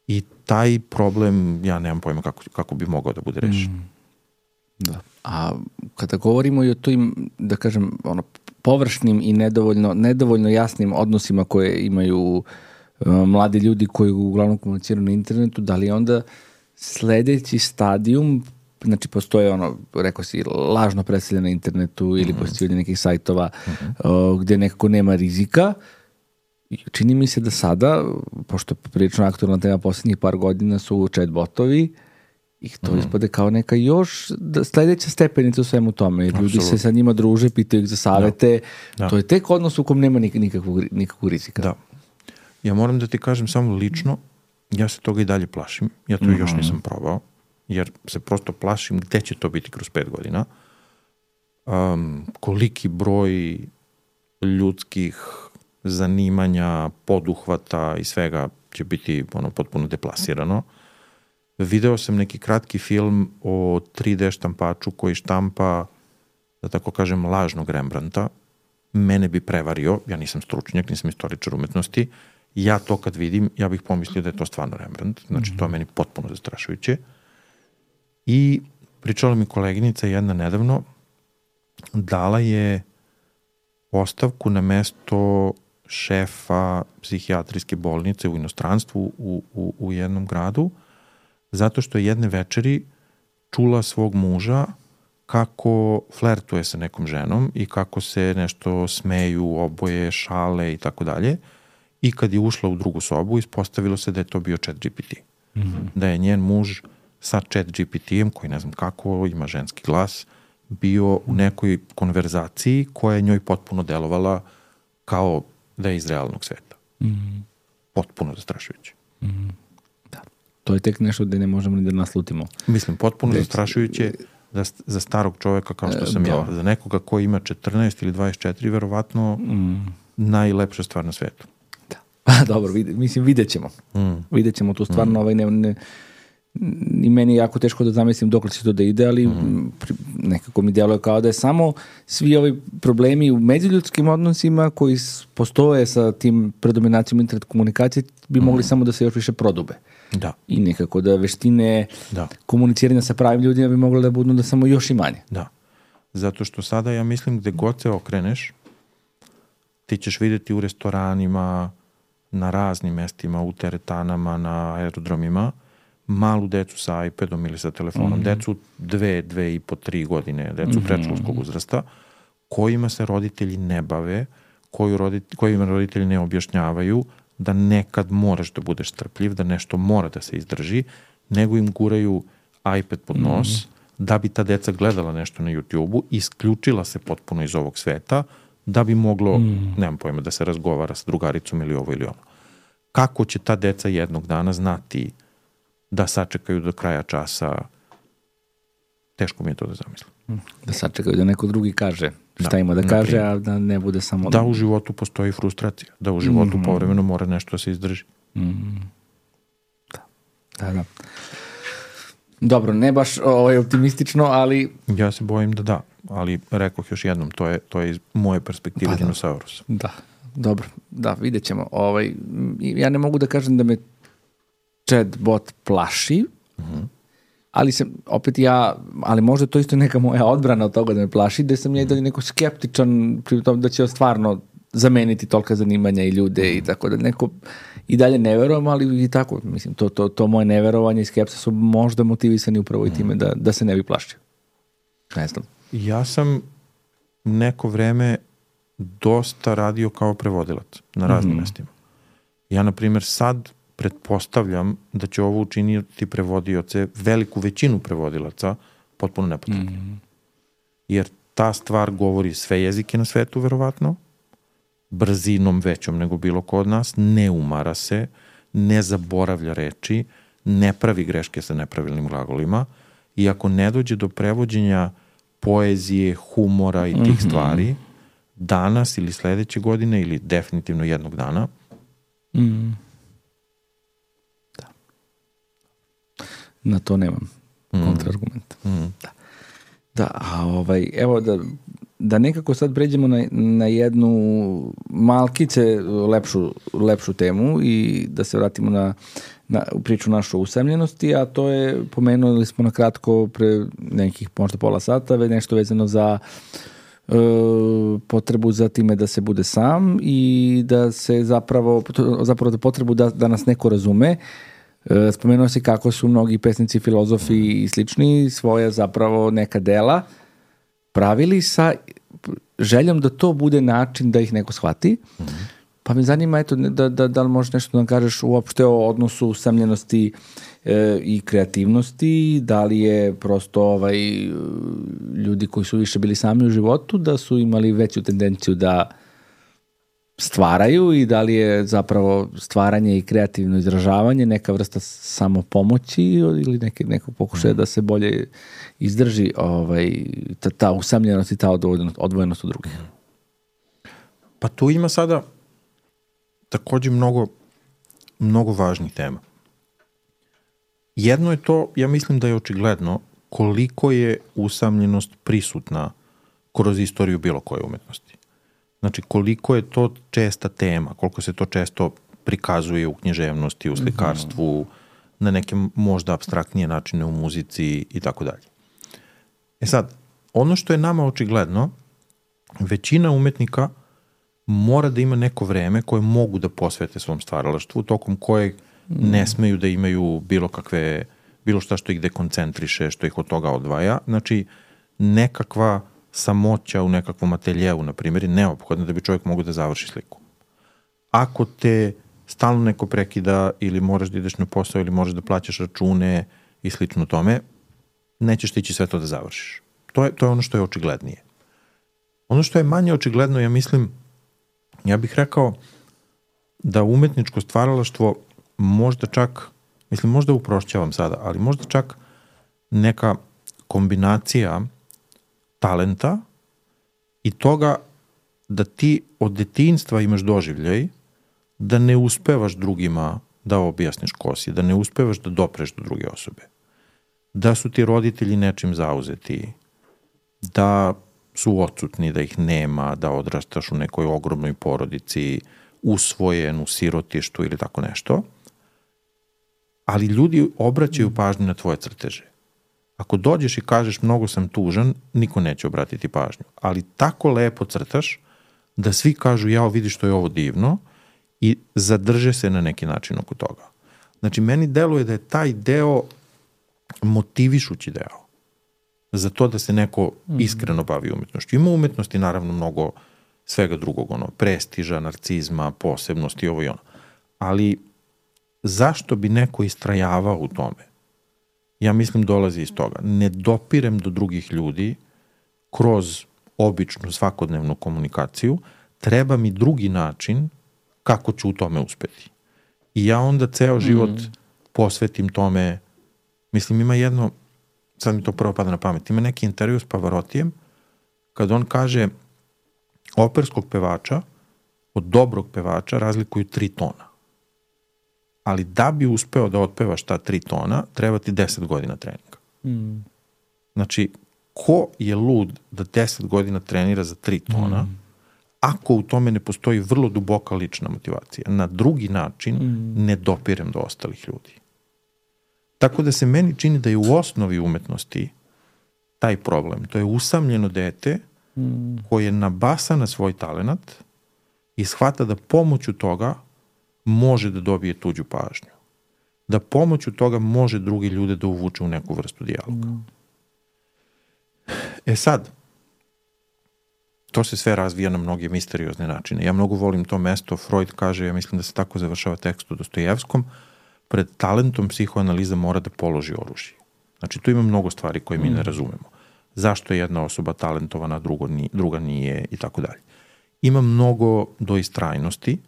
I taj problem, ja nemam pojma kako, kako bi mogao da bude rešen. Mm. Da. A kada govorimo i o tim, da kažem, ono, površnim i nedovoljno, nedovoljno jasnim odnosima koje imaju uh, mladi ljudi koji uglavnom komuniciraju na internetu, da li onda sledeći stadijum, znači postoje ono, rekao si, lažno predstavljanje na internetu ili mm-hmm. postavljanje nekih sajtova mm-hmm. uh, gde nekako nema rizika. Čini mi se da sada, pošto prilično aktualna tema poslednjih par godina su chatbotovi, i to mm. ispade kao neka još da, sledeća stepenica u svemu tome. Jer ljudi se sa njima druže, pitaju ih za savete. Da. Da. To je tek odnos u kom nema nik, nikakvog, nikakvog rizika. Da. Ja moram da ti kažem samo lično, ja se toga i dalje plašim. Ja to mm-hmm. još nisam probao. Jer se prosto plašim gde će to biti kroz pet godina. Um, koliki broj ljudskih zanimanja, poduhvata i svega će biti ono, potpuno deplasirano. Video sam neki kratki film o tri de štampaču koji štampa, da tako kažem, lažnog Rembrandta. Mene bi prevario, ja nisam stručnjak, nisam istoričar umetnosti. Ja to kad vidim, ja bih pomislio da je to stvarno Rembrandt. Znači, to je meni potpuno zastrašujuće. I pričala mi koleginica jedna nedavno, dala je ostavku na mesto šefa psihijatrijske bolnice u inostranstvu u, u, u jednom gradu, zato što je jedne večeri čula svog muža kako flertuje sa nekom ženom i kako se nešto smeju, oboje, šale i tako dalje. I kad je ušla u drugu sobu, ispostavilo se da je to bio chat G P T. Mm-hmm. Da je njen muž sa chat G P T-em, koji ne znam kako, ima ženski glas, bio u nekoj konverzaciji koja je njoj potpuno delovala kao da je iz realnog sveta. Mm-hmm. Potpuno zastrašujuće. Mm-hmm. To je tek nešto gde ne možemo ni da naslutimo. Mislim, potpuno Već... zastrašujuće za, za starog čoveka kao što sam e, ja. Za nekoga koji ima četrnaest ili dvadeset četiri, verovatno mm. najlepša stvar na svetu. Da. Pa dobro, vid, mislim, vidjet ćemo. Mm. Vidjet ćemo tu stvarno, mm. ovaj, ne, ne, i meni je jako teško da zamislim dok će to da ide, ali mm. nekako mi djeluje kao da je samo svi ovi problemi u međuljudskim odnosima koji postoje sa tim predominacijom internet komunikacije bi mm. mogli samo da se još više prodube. Da. I nekako da veštine da. komuniciranja sa pravim ljudima bi moglo da budu da samo još i manje. Da. Zato što sada ja mislim gde god se okreneš, ti ćeš vidjeti u restoranima, na raznim mestima, u teretanama, na aerodromima, malu decu sa iPadom ili sa telefonom, mm-hmm. decu dve, dve i po, tri godine, decu mm-hmm. predškolskog uzrasta, kojima se roditelji ne bave, koju roditelji, kojima roditelji ne objašnjavaju da nekad moraš da budeš strpljiv, da nešto mora da se izdrži, nego im guraju iPad pod nos, mm-hmm. da bi ta deca gledala nešto na YouTube-u, isključila se potpuno iz ovog sveta, da bi moglo, mm. nemam pojma, da se razgovara sa drugaricom ili ovo ili ono. Kako će ta deca jednog dana znati da sačekaju do kraja časa? Teško mi je to da zamislim. Da sačekaju da neko drugi kaže šta da, ima da kaže, primjer. A da ne bude samo... Da u životu postoji frustracija, da u životu mm-hmm. povremeno mora nešto da se izdrži. Mm. Da, da, da. Dobro, ne baš ovaj, optimistično, ali... Ja se bojim da da, ali rekoh još jednom, to je, to je iz moje perspektive pa, dinosaurusa. Da, dobro, da, vidjet ćemo. Ovaj, ja ne mogu da kažem da me chatbot plaši, uh-huh. ali sam, opet ja, ali možda to isto neka moja odbrana od toga da me plaši, da sam ja i dalje neko skeptičan pri tom da će stvarno zameniti tolika zanimanja i ljude i tako da neko i dalje ne verujem, ali i tako, mislim, to, to, to moje neverovanje i skepsa su možda motivisani upravo i time da, da se ne bi plašio. Ne znam. Ja sam neko vreme dosta radio kao prevodilac na raznim mm-hmm. mestima. Ja, na primjer, sad pretpostavljam da će ovo učiniti prevodioce, veliku većinu prevodilaca, potpuno nepotrebno. Mm-hmm. Jer ta stvar govori sve jezike na svetu, verovatno, brzinom većom nego bilo ko od nas, ne umara se, ne zaboravlja reči, ne pravi greške sa nepravilnim glagolima i ako ne dođe do prevođenja poezije, humora i tih mm-hmm. stvari, danas ili sledeće godine ili definitivno jednog dana, mm. da. Na to nemam mm. kontraargumenta. Mm. Da. Da, a ovaj, evo da da nekako sad pređemo na, na jednu malkice lepšu, lepšu temu i da se vratimo na, na priču našu usamljenosti, a to je, pomenuli smo na kratko pre nekih možda pola sata, nešto vezano za e, potrebu za time da se bude sam i da se zapravo, zapravo da potrebu da, da nas neko razume. E, spomenuo se kako su mnogi pesnici, filozofi i slični svoja zapravo neka dela pravili sa željom da to bude način da ih neko shvati. Mm-hmm. Pa me zanima, eto, da, da, da li možeš nešto da nam kažeš uopšte o odnosu usamljenosti e, i kreativnosti, da li je prosto ovaj, ljudi koji su više bili sami u životu, da su imali veću tendenciju da stvaraju i da li je zapravo stvaranje i kreativno izražavanje neka vrsta samopomoći ili neke, neko pokušaja da se bolje izdrži ovaj, ta, ta usamljenost i ta odvojenost, odvojenost od drugih. Pa tu ima sada takođe mnogo, mnogo važnih tema. Jedno je to, ja mislim da je očigledno koliko je usamljenost prisutna kroz istoriju bilo koje umetnosti. Znači, koliko je to česta tema, koliko se to često prikazuje u književnosti, u slikarstvu, mm-hmm. na neke možda apstraktnije načine u muzici i tako dalje. E sad, ono što je nama očigledno, većina umetnika mora da ima neko vreme koje mogu da posvete svom stvaralaštvu, tokom kojeg mm. ne smeju da imaju bilo kakve, bilo šta što ih dekoncentriše, što ih od toga odvaja. Znači, nekakva samoća u nekakvom ateljevu, na primjer, je neophodna da bi čovjek mogu da završi sliku. Ako te stalno neko prekida ili moraš da ideš na posao ili moraš da plaćaš račune i slično tome, nećeš tići sve to da završiš. To je, to je ono što je očiglednije. Ono što je manje očigledno, ja mislim, ja bih rekao da umetničko stvaralaštvo možda čak, mislim, možda uprošćavam sada, ali možda čak neka kombinacija talenta i toga da ti od detinjstva imaš doživljaj da ne uspevaš drugima da objasniš ko si, da ne uspevaš da dopreš do druge osobe, da su ti roditelji nečim zauzeti, da su odsutni, da ih nema, da odrastaš u nekoj ogromnoj porodici, usvojen u sirotištu ili tako nešto, ali ljudi obraćaju pažnju na tvoje crteže. Ako dođeš i kažeš mnogo sam tužan, niko neće obratiti pažnju. Ali tako lepo crtaš da svi kažu jao vidi što je ovo divno i zadrže se na neki način oko toga. Znači meni deluje da je taj deo motivišući deo. za to da se neko iskreno bavi umetnošću. Ima umetnosti naravno mnogo svega drugog, ono, prestiža, narcizma, posebnosti, ovo i ono. Ali zašto bi neko istrajavao u tome? Ja mislim dolazi iz toga. Ne dopirem do drugih ljudi kroz običnu svakodnevnu komunikaciju, treba mi drugi način kako ću u tome uspeti. I ja onda ceo život mm. posvetim tome. Mislim, ima jedno, sad mi to prvo pada na pamet, ima neki intervju s Pavarottijem, kad on kaže operskog pevača od dobrog pevača razlikuju tri tona. Ali da bi uspeo da otpevaš ta tri tona, treba ti deset godina treninga. Mm. Znači, ko je lud da deset godina trenira za tri tona, mm. ako u tome ne postoji vrlo duboka lična motivacija? Na drugi način mm. ne dopirem do ostalih ljudi. Tako da se meni čini da je u osnovi umetnosti taj problem. To je usamljeno dete mm. koje nabasa na svoj talenat i shvata da pomoću toga može da dobije tuđu pažnju. Da pomoću toga može drugi ljude da uvuče u neku vrstu dijaloga. Mm. E sad, to se sve razvija na mnoge misteriozne načine. Ja mnogo volim to mesto. Freud kaže, ja mislim da se tako završava tekst u Dostojevskom, pred talentom psihoanaliza mora da položi oružje. Znači, tu ima mnogo stvari koje mi ne razumemo. Zašto je jedna osoba talentovana, drugo nije, druga nije i tako dalje. Ima mnogo do istrajnosti,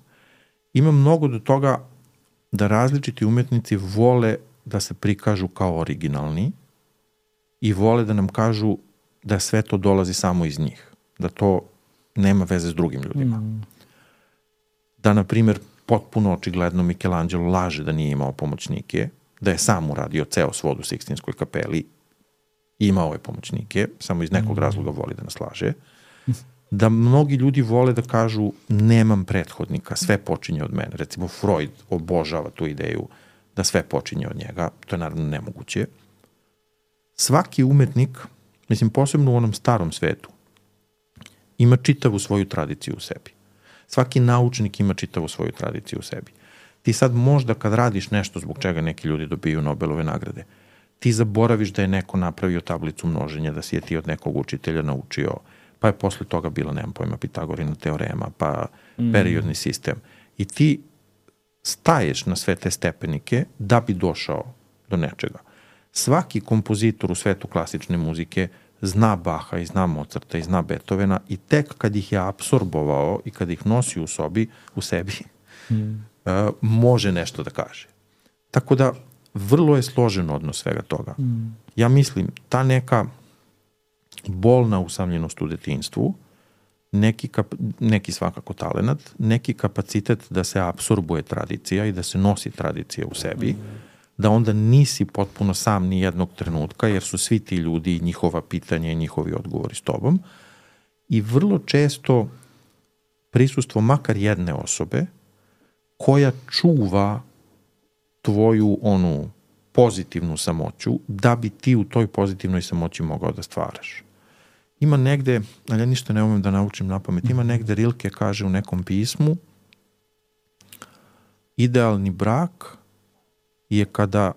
ima mnogo do toga da različiti umetnici vole da se prikažu kao originalni i vole da nam kažu da sve to dolazi samo iz njih. Da to nema veze s drugim ljudima. Mm. Da, na primjer, potpuno očigledno Michelangelo laže da nije imao pomoćnike, da je sam uradio ceo svod u Sikstinskoj kapeli, imao je pomoćnike, samo iz nekog mm. razloga voli da nas laže. Da mnogi ljudi vole da kažu nemam prethodnika, sve počinje od mene. Recimo Freud obožava tu ideju da sve počinje od njega, to je naravno nemoguće. Svaki umetnik, mislim posebno u onom starom svetu, ima čitavu svoju tradiciju u sebi. Svaki naučnik ima čitavu svoju tradiciju u sebi. Ti sad možda kad radiš nešto zbog čega neki ljudi dobiju Nobelove nagrade, ti zaboraviš da je neko napravio tablicu množenja, da si je ti od nekog učitelja naučio, pa je posle toga bila, nemam pojma, Pitagorina teorema, pa mm. periodni sistem. I ti staješ na sve te stepenike da bi došao do nečega. Svaki kompozitor u svetu klasične muzike zna Baha i zna Mozarta i zna Beethovena i tek kad ih je apsorbovao i kad ih nosi u sobi, u sebi, mm. uh, može nešto da kaže. Tako da vrlo je složen odnos svega toga. Mm. Ja mislim, ta neka bolna usamljenost u detinjstvu, neki, kap, neki svakako talenat, neki kapacitet da se apsorbuje tradicija i da se nosi tradicija u sebi, mm. da onda nisi potpuno sam ni jednog trenutka, jer su svi ti ljudi i njihova pitanja i njihovi odgovori s tobom. I vrlo često prisustvo makar jedne osobe koja čuva tvoju onu pozitivnu samoću da bi ti u toj pozitivnoj samoći mogao da stvaraš. Ima negde, ali ja ništa ne umem da naučim na pamet, ima negde Rilke kaže u nekom pismu idealni brak je kada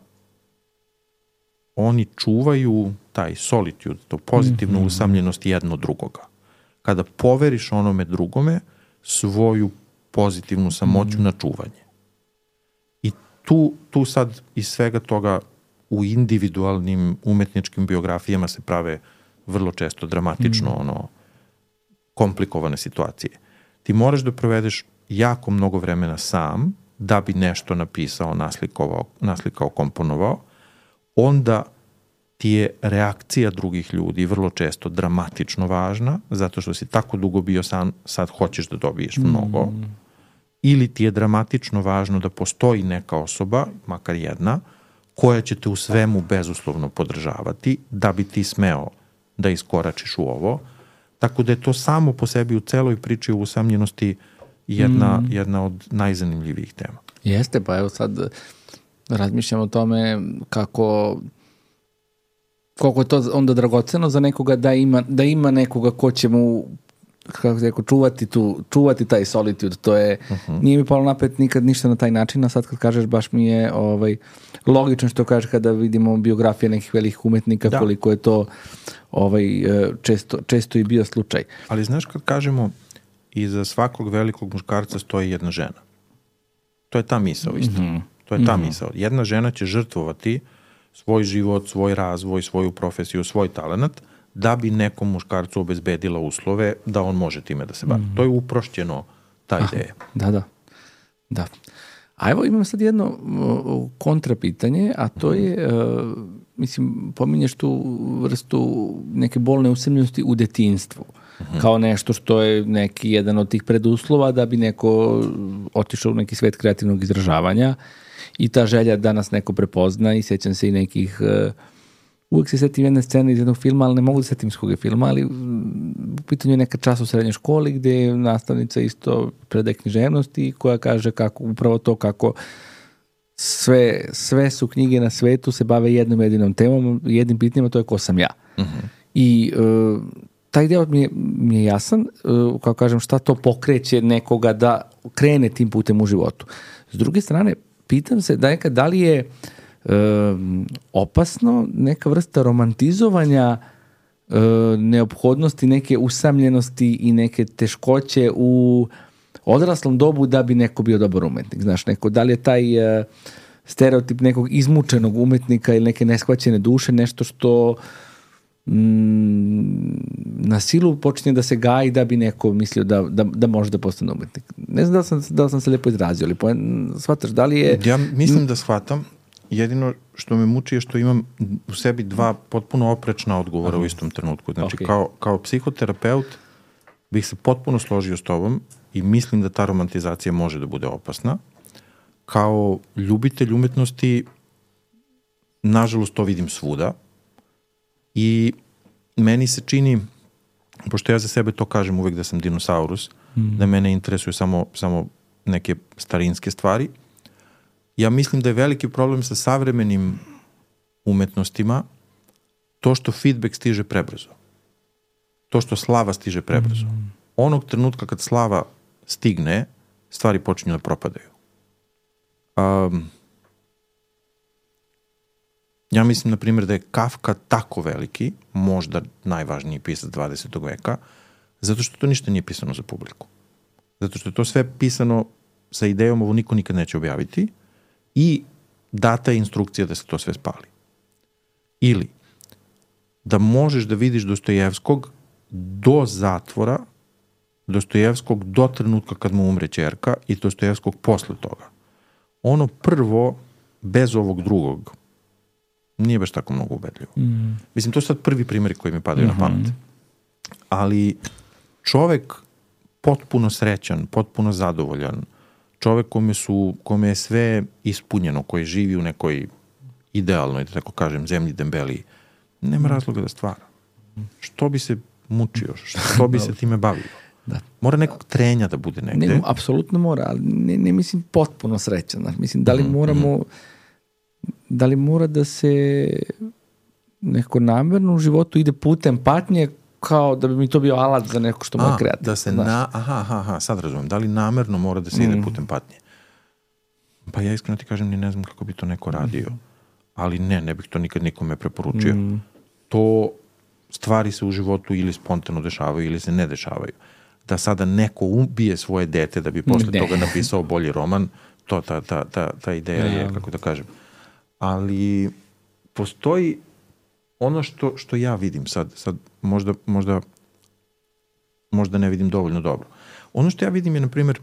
oni čuvaju taj solitude, to pozitivnu mm-hmm. usamljenost jedno drugoga. Kada poveriš onome drugome svoju pozitivnu samoću mm-hmm. na čuvanje. I tu, tu sad iz svega toga u individualnim umetničkim biografijama se prave vrlo često dramatično mm-hmm. ono komplikovane situacije. Ti moraš da provedeš jako mnogo vremena sam da bi nešto napisao, naslikovao, naslikao, komponovao, onda ti je reakcija drugih ljudi vrlo često dramatično važna, zato što si tako dugo bio sam, sad hoćeš da dobiješ mnogo, mm. ili ti je dramatično važno da postoji neka osoba, makar jedna, koja će te u svemu bezuslovno podržavati, da bi ti smeo da iskoračiš u ovo. Tako da je to samo po sebi u celoj priči o usamljenosti jedna, mm. jedna od najzanimljivijih tema. Jeste, pa evo sad razmišljam o tome kako koliko je to onda dragoceno za nekoga da ima, da ima nekoga ko će mu kako se rekao, čuvati, tu, čuvati taj solitude. To je, uh-huh. nije mi palo napet nikad ništa na taj način, a sad kad kažeš baš mi je ovaj, logično što kažeš kada vidimo biografije nekih velikih umetnika, da. Koliko je to ovaj, često, često i bio slučaj. Ali znaš kad kažemo iza svakog velikog muškarca stoji jedna žena. To je ta misao isto. Mm-hmm. To je ta mm-hmm. misao. Jedna žena će žrtvovati svoj život, svoj razvoj, svoju profesiju, svoj talenat, da bi nekom muškarcu obezbedila uslove da on može time da se bavi. Mm-hmm. To je uprošćeno ta ideja. Da, da. da. A evo imam sad jedno uh, kontrapitanje, a to je, uh, mislim, pominješ tu vrstu neke bolne usamljenosti u detinjstvu. Uh-huh. Kao nešto što je neki jedan od tih preduslova da bi neko otišao u neki svet kreativnog izražavanja i ta želja da nas neko prepozna i sećam se i nekih, uh, uvijek se setim jedne scene iz jednog filma, ali ne mogu da setim iz koga filma, ali u pitanju je neka čas u srednjoj školi gde je nastavnica isto predaje književnosti koja kaže kako, upravo to kako sve, sve su knjige na svetu se bave jednom jedinom temom, jednim pitanjima, to je ko sam ja. Uh-huh. I uh, taj deo mi je, mi je jasan, uh, kao kažem, šta to pokreće nekoga da krene tim putem u životu. S druge strane, pitam se da nekad da li je uh, opasno neka vrsta romantizovanja uh, neophodnosti, neke usamljenosti i neke teškoće u odraslom dobu da bi neko bio dobar umetnik. Znaš, neko, da li je taj uh, stereotip nekog izmučenog umetnika ili neke neshvaćene duše nešto što na silu počinje da se gaji da bi neko mislio da, da, da može da postane umetnik. Ne znam da li sam, da li sam se lijepo izrazio, ali shvataš, da li je... Ja mislim da shvatam. Jedino što me muči je što imam u sebi dva potpuno oprečna odgovora Aha. u istom trenutku. Znači, okay. kao, kao psihoterapeut bih se potpuno složio s tobom i mislim da ta romantizacija može da bude opasna. Kao ljubitelj umetnosti, nažalost, to vidim svuda. I meni se čini, pošto ja za sebe to kažem uvek da sam dinosaurus, mm. da mene interesuju samo, samo neke starinske stvari, ja mislim da je veliki problem sa savremenim umetnostima to što feedback stiže prebrzo. To što slava stiže prebrzo. Mm. Onog trenutka kad slava stigne, stvari počinju da propadaju. Um, Ja mislim, na primjer, da je Kafka tako veliki, možda najvažniji pisac dvadesetog veka, zato što to ništa nije pisano za publiku. Zato što je to sve pisano sa idejom, ovo niko nikad neće objaviti, i data je instrukcija da se to sve spali. Ili da možeš da vidiš Dostojevskog do zatvora, Dostojevskog do trenutka kad mu umre ćerka i Dostojevskog posle toga. Ono prvo, bez ovog drugog, nije baš tako mnogo ubedljivo. Mm. Mislim, to su sad prvi primjeri koji mi padaju mm-hmm. na pamet. Ali čovek potpuno srećan, potpuno zadovoljan, čovek kome, su, kome je sve ispunjeno, koji živi u nekoj idealnoj, da tako kažem, zemlji dembeliji, nema mm. razloga da stvara. Što bi se mučio? Što bi se time bavio? Da. Mora nekog trenja da bude negde. Ne, apsolutno mora, ali ne, ne mislim potpuno srećan. Mislim, da li mm-hmm. moramo... da li mora da se neko namerno u životu ide putem patnje kao da bi mi to bio alat za neko što mu je kreativno. Da se na, aha, aha, aha, sad razumem. Da li namerno mora da se ide mm. putem patnje? Pa ja iskreno ti kažem, ni ne znam kako bi to neko radio. Mm. Ali ne, ne bih to nikad nikome preporučio. Mm. To stvari se u životu ili spontano dešavaju ili se ne dešavaju. Da sada neko ubije svoje dete da bi posle ne. toga napisao bolji roman, to ta, ta, ta, ta ideja ja. je, kako da kažem. Ali postoji ono što, što ja vidim sad, sad možda, možda, možda ne vidim dovoljno dobro. Ono što ja vidim je, na primjer,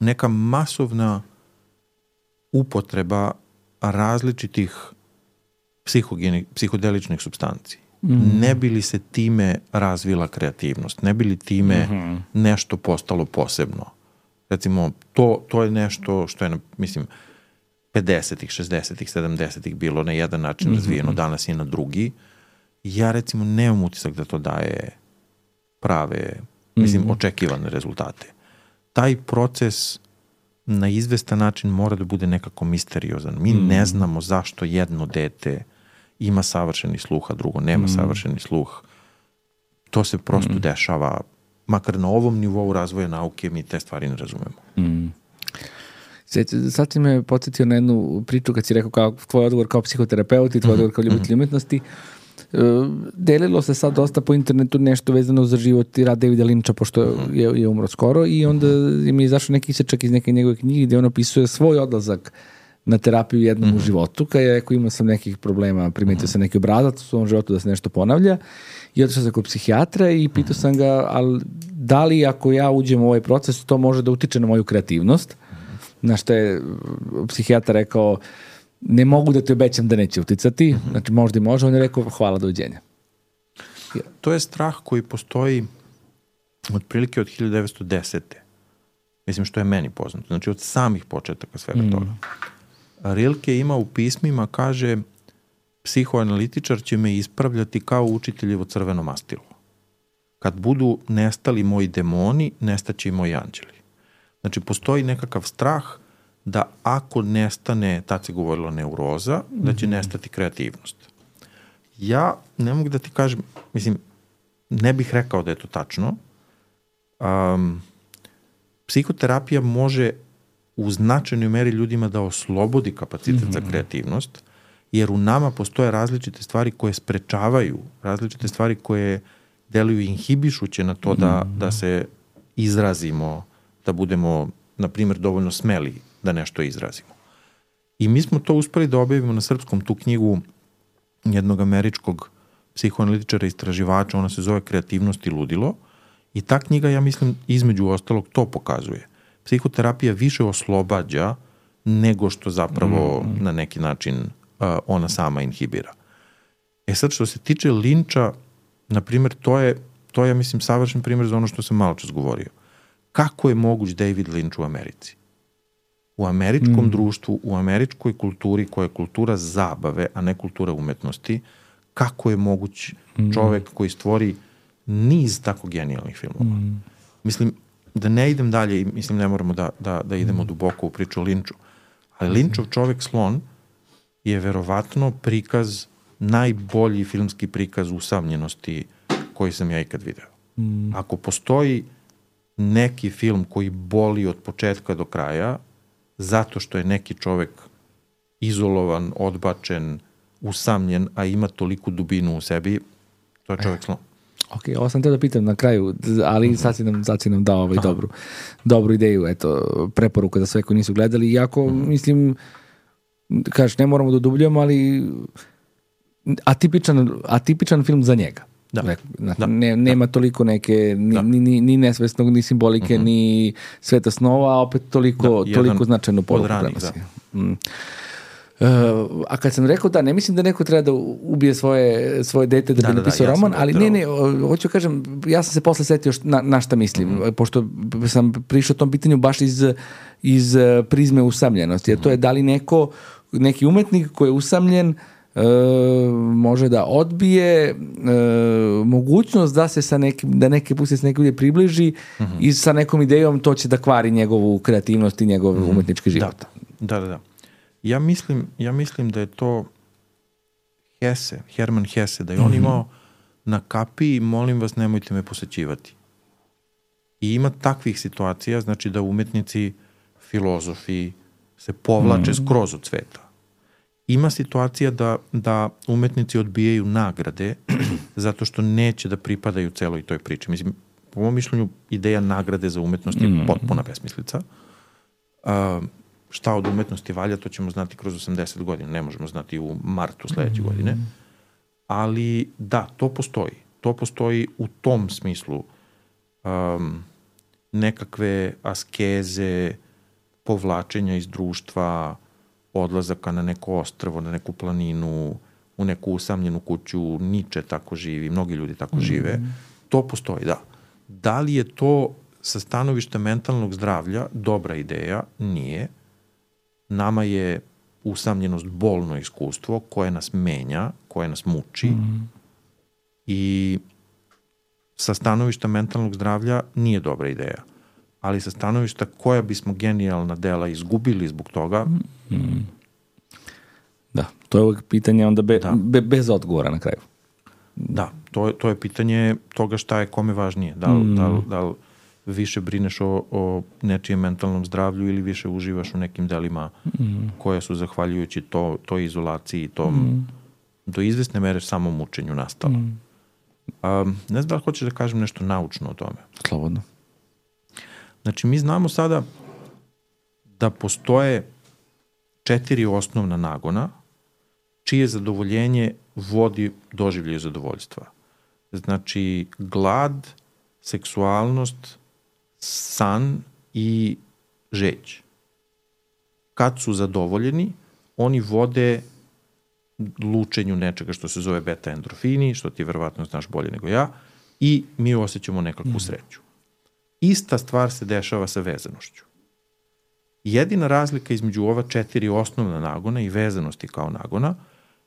neka masovna upotreba različitih psihogenih, psihodeličnih supstanci. Mm. Ne bi li se time razvila kreativnost? Ne bi li time mm-hmm. nešto postalo posebno? Recimo, to, to je nešto što je, mislim, pedesetih, šezdesetih, sedamdesetih bilo na jedan način mm-hmm. razvijeno, danas je na drugi. Ja, recimo, nemam utisak da to daje prave, mislim, mm-hmm. očekivane rezultate. Taj proces na izvestan način mora da bude nekako misteriozan. Mi mm-hmm. ne znamo zašto jedno dete ima savršeni sluh, a drugo nema mm-hmm. savršeni sluh. To se prosto mm-hmm. dešava. Makar na ovom nivou razvoja nauke mi te stvari ne razumemo. Mm. Sad si me podsjetio na jednu priču kad si rekao kao tvoj odgovor kao psihoterapeut i tvoj mm-hmm. odgovor kao ljubitelj umetnosti. delilo se sad dosta po internetu nešto vezano za život i rad Davida Lyncha, pošto je, je umro skoro, i onda im je izašao neki isečak iz neke njegove knjige gdje on opisuje svoj odlazak na terapiju jednom mm-hmm. u životu, kada je rekao imao sam nekih problema, primetio sam neki obrazac u svom životu da se nešto ponavlja, i otišao sam kod psihijatra i pitao sam ga, ali da li ako ja uđem u ovaj proces, to može da utiče na moju kreativnost? Na što je psihijatar rekao, ne mogu da ti obećam da neće uticati, mm-hmm. znači možda i može, on je rekao hvala, doviđenja. To je strah koji postoji otprilike od hiljadu devetsto desete. Mislim što je meni poznato, znači od samih početaka svega mm. toga. Rilke ima u pismima, kaže, psihoanalitičar će me ispravljati kao učiteljevo crveno mastilo. Kad budu nestali moji demoni, nestaće i moji anđeli. Znači, postoji nekakav strah da ako nestane, tad se govorilo neuroza, mm-hmm. da će nestati kreativnost. Ja ne mogu da ti kažem, mislim, ne bih rekao da je to tačno. Um, psihoterapija može u značajnoj meri ljudima da oslobodi kapacitet mm-hmm. za kreativnost, jer u nama postoje različite stvari koje sprečavaju, različite stvari koje deluju inhibišuće na to da, mm-hmm. da se izrazimo, da budemo, na primjer, dovoljno smeli da nešto izrazimo. I mi smo to uspeli da objavimo na srpskom, tu knjigu jednog američkog psihoanalitičara istraživača, ona se zove Kreativnost i ludilo, i ta knjiga, ja mislim, između ostalog to pokazuje. Psihoterapija više oslobađa nego što zapravo mm. na neki način uh, ona sama inhibira. E sad, što se tiče Lyncha, na primjer, to je, to je, ja mislim, savršen primjer za ono što sam malo čas govorio. Kako je moguć David Lynch u Americi? U američkom mm. društvu, u američkoj kulturi, koja je kultura zabave, a ne kultura umetnosti, kako je moguć mm. čovek koji stvori niz tako genijalnih filmova? Mm. Mislim, da ne idem dalje, mislim, ne moramo da, da, da idemo mm. duboko u priču o Lynchu, ali Lynchov Čovek slon je verovatno prikaz, najbolji filmski prikaz usamljenosti koji sam ja ikad video. Mm. Ako postoji neki film koji boli od početka do kraja, zato što je neki čovek izolovan, odbačen, usamljen, a ima toliku dubinu u sebi, to je Čovek slon. Ok, ovo sam te da pitam na kraju, ali mm-hmm. sad si nam, sad si nam dao ovaj dobru, dobru ideju, eto, preporuka za sve koji nisu gledali. Iako, mm-hmm. mislim, kažeš, ne moramo da dubljamo, ali atipičan, atipičan film za njega. Da. Znači, da. Ne, nema da. toliko neke, ni, da. ni, ni, ni nesvesnog, ni simbolike, mm-hmm. ni sveta snova, a opet toliko, da, toliko značajnu poruku prenosi. Mm. Uh, a kad sam rekao da, ne mislim da neko treba da ubije svoje, svoje dete da, da bi da, napisao da, roman, ali ne, ne, hoću kažem, ja sam se posle setio na, na šta mislim, mm-hmm. pošto sam prišao tom pitanju baš iz, iz prizme usamljenosti, jer mm-hmm. to je da li neko, neki umetnik koji je usamljen Uh, može da odbije uh, mogućnost da se sa nekim, da neke puste se neke ljudi približi mm-hmm. i sa nekom idejom to će da kvari njegovu kreativnost i njegov mm-hmm. umetnički život. Da, da, da. Ja mislim, ja mislim da je to Hesse, Hermann Hesse, da je mm-hmm. on imao na kapiji, molim vas, nemojte me posećivati. I ima takvih situacija, znači da umetnici, filozofi se povlače mm-hmm. skroz od sveta. Ima situacija da, da umetnici odbijaju nagrade zato što neće da pripadaju celoj toj priči. Mislim, po mom mišljenju, ideja nagrade za umetnost je mm. potpuna besmislica. Uh, šta od umetnosti valja, to ćemo znati kroz osamdeset godina. Ne možemo znati u martu sledeće mm. godine. Ali da, to postoji. To postoji u tom smislu um, nekakve askeze, povlačenja iz društva, odlazaka na neko ostrvo, na neku planinu, u neku usamljenu kuću, Niče tako živi, mnogi ljudi tako mm. žive. To postoji, da. Da li je to sa stanovišta mentalnog zdravlja dobra ideja? Nije. Nama je usamljenost bolno iskustvo koje nas menja, koje nas muči mm. i sa stanovišta mentalnog zdravlja nije dobra ideja. Ali sa stanovišta koja bismo genijalna dela izgubili zbog toga. Mm. Da, to je uvijek pitanje onda be, da. be, bez odgovora na kraju. Da, to je, to je pitanje toga šta je kome važnije. Da li, mm. da li, da li više brineš o, o nečijem mentalnom zdravlju ili više uživaš u nekim delima mm. koje su zahvaljujući to, toj izolaciji, tom mm. do izvesne mere samo mučenju nastala. Mm. Um, ne znam da li hoćeš da kažem nešto naučno o tome. Slobodno. Znači, mi znamo sada da postoje četiri osnovna nagona čije zadovoljenje vodi doživljaju zadovoljstva. Znači, glad, seksualnost, san i žeđ. Kad su zadovoljeni, oni vode lučenju nečega što se zove beta endorfini, što ti verovatno znaš bolje nego ja, i mi osjećamo nekakvu mm. sreću. Ista stvar se dešava sa vezanošću. Jedina razlika između ova četiri osnovna nagona i vezanosti kao nagona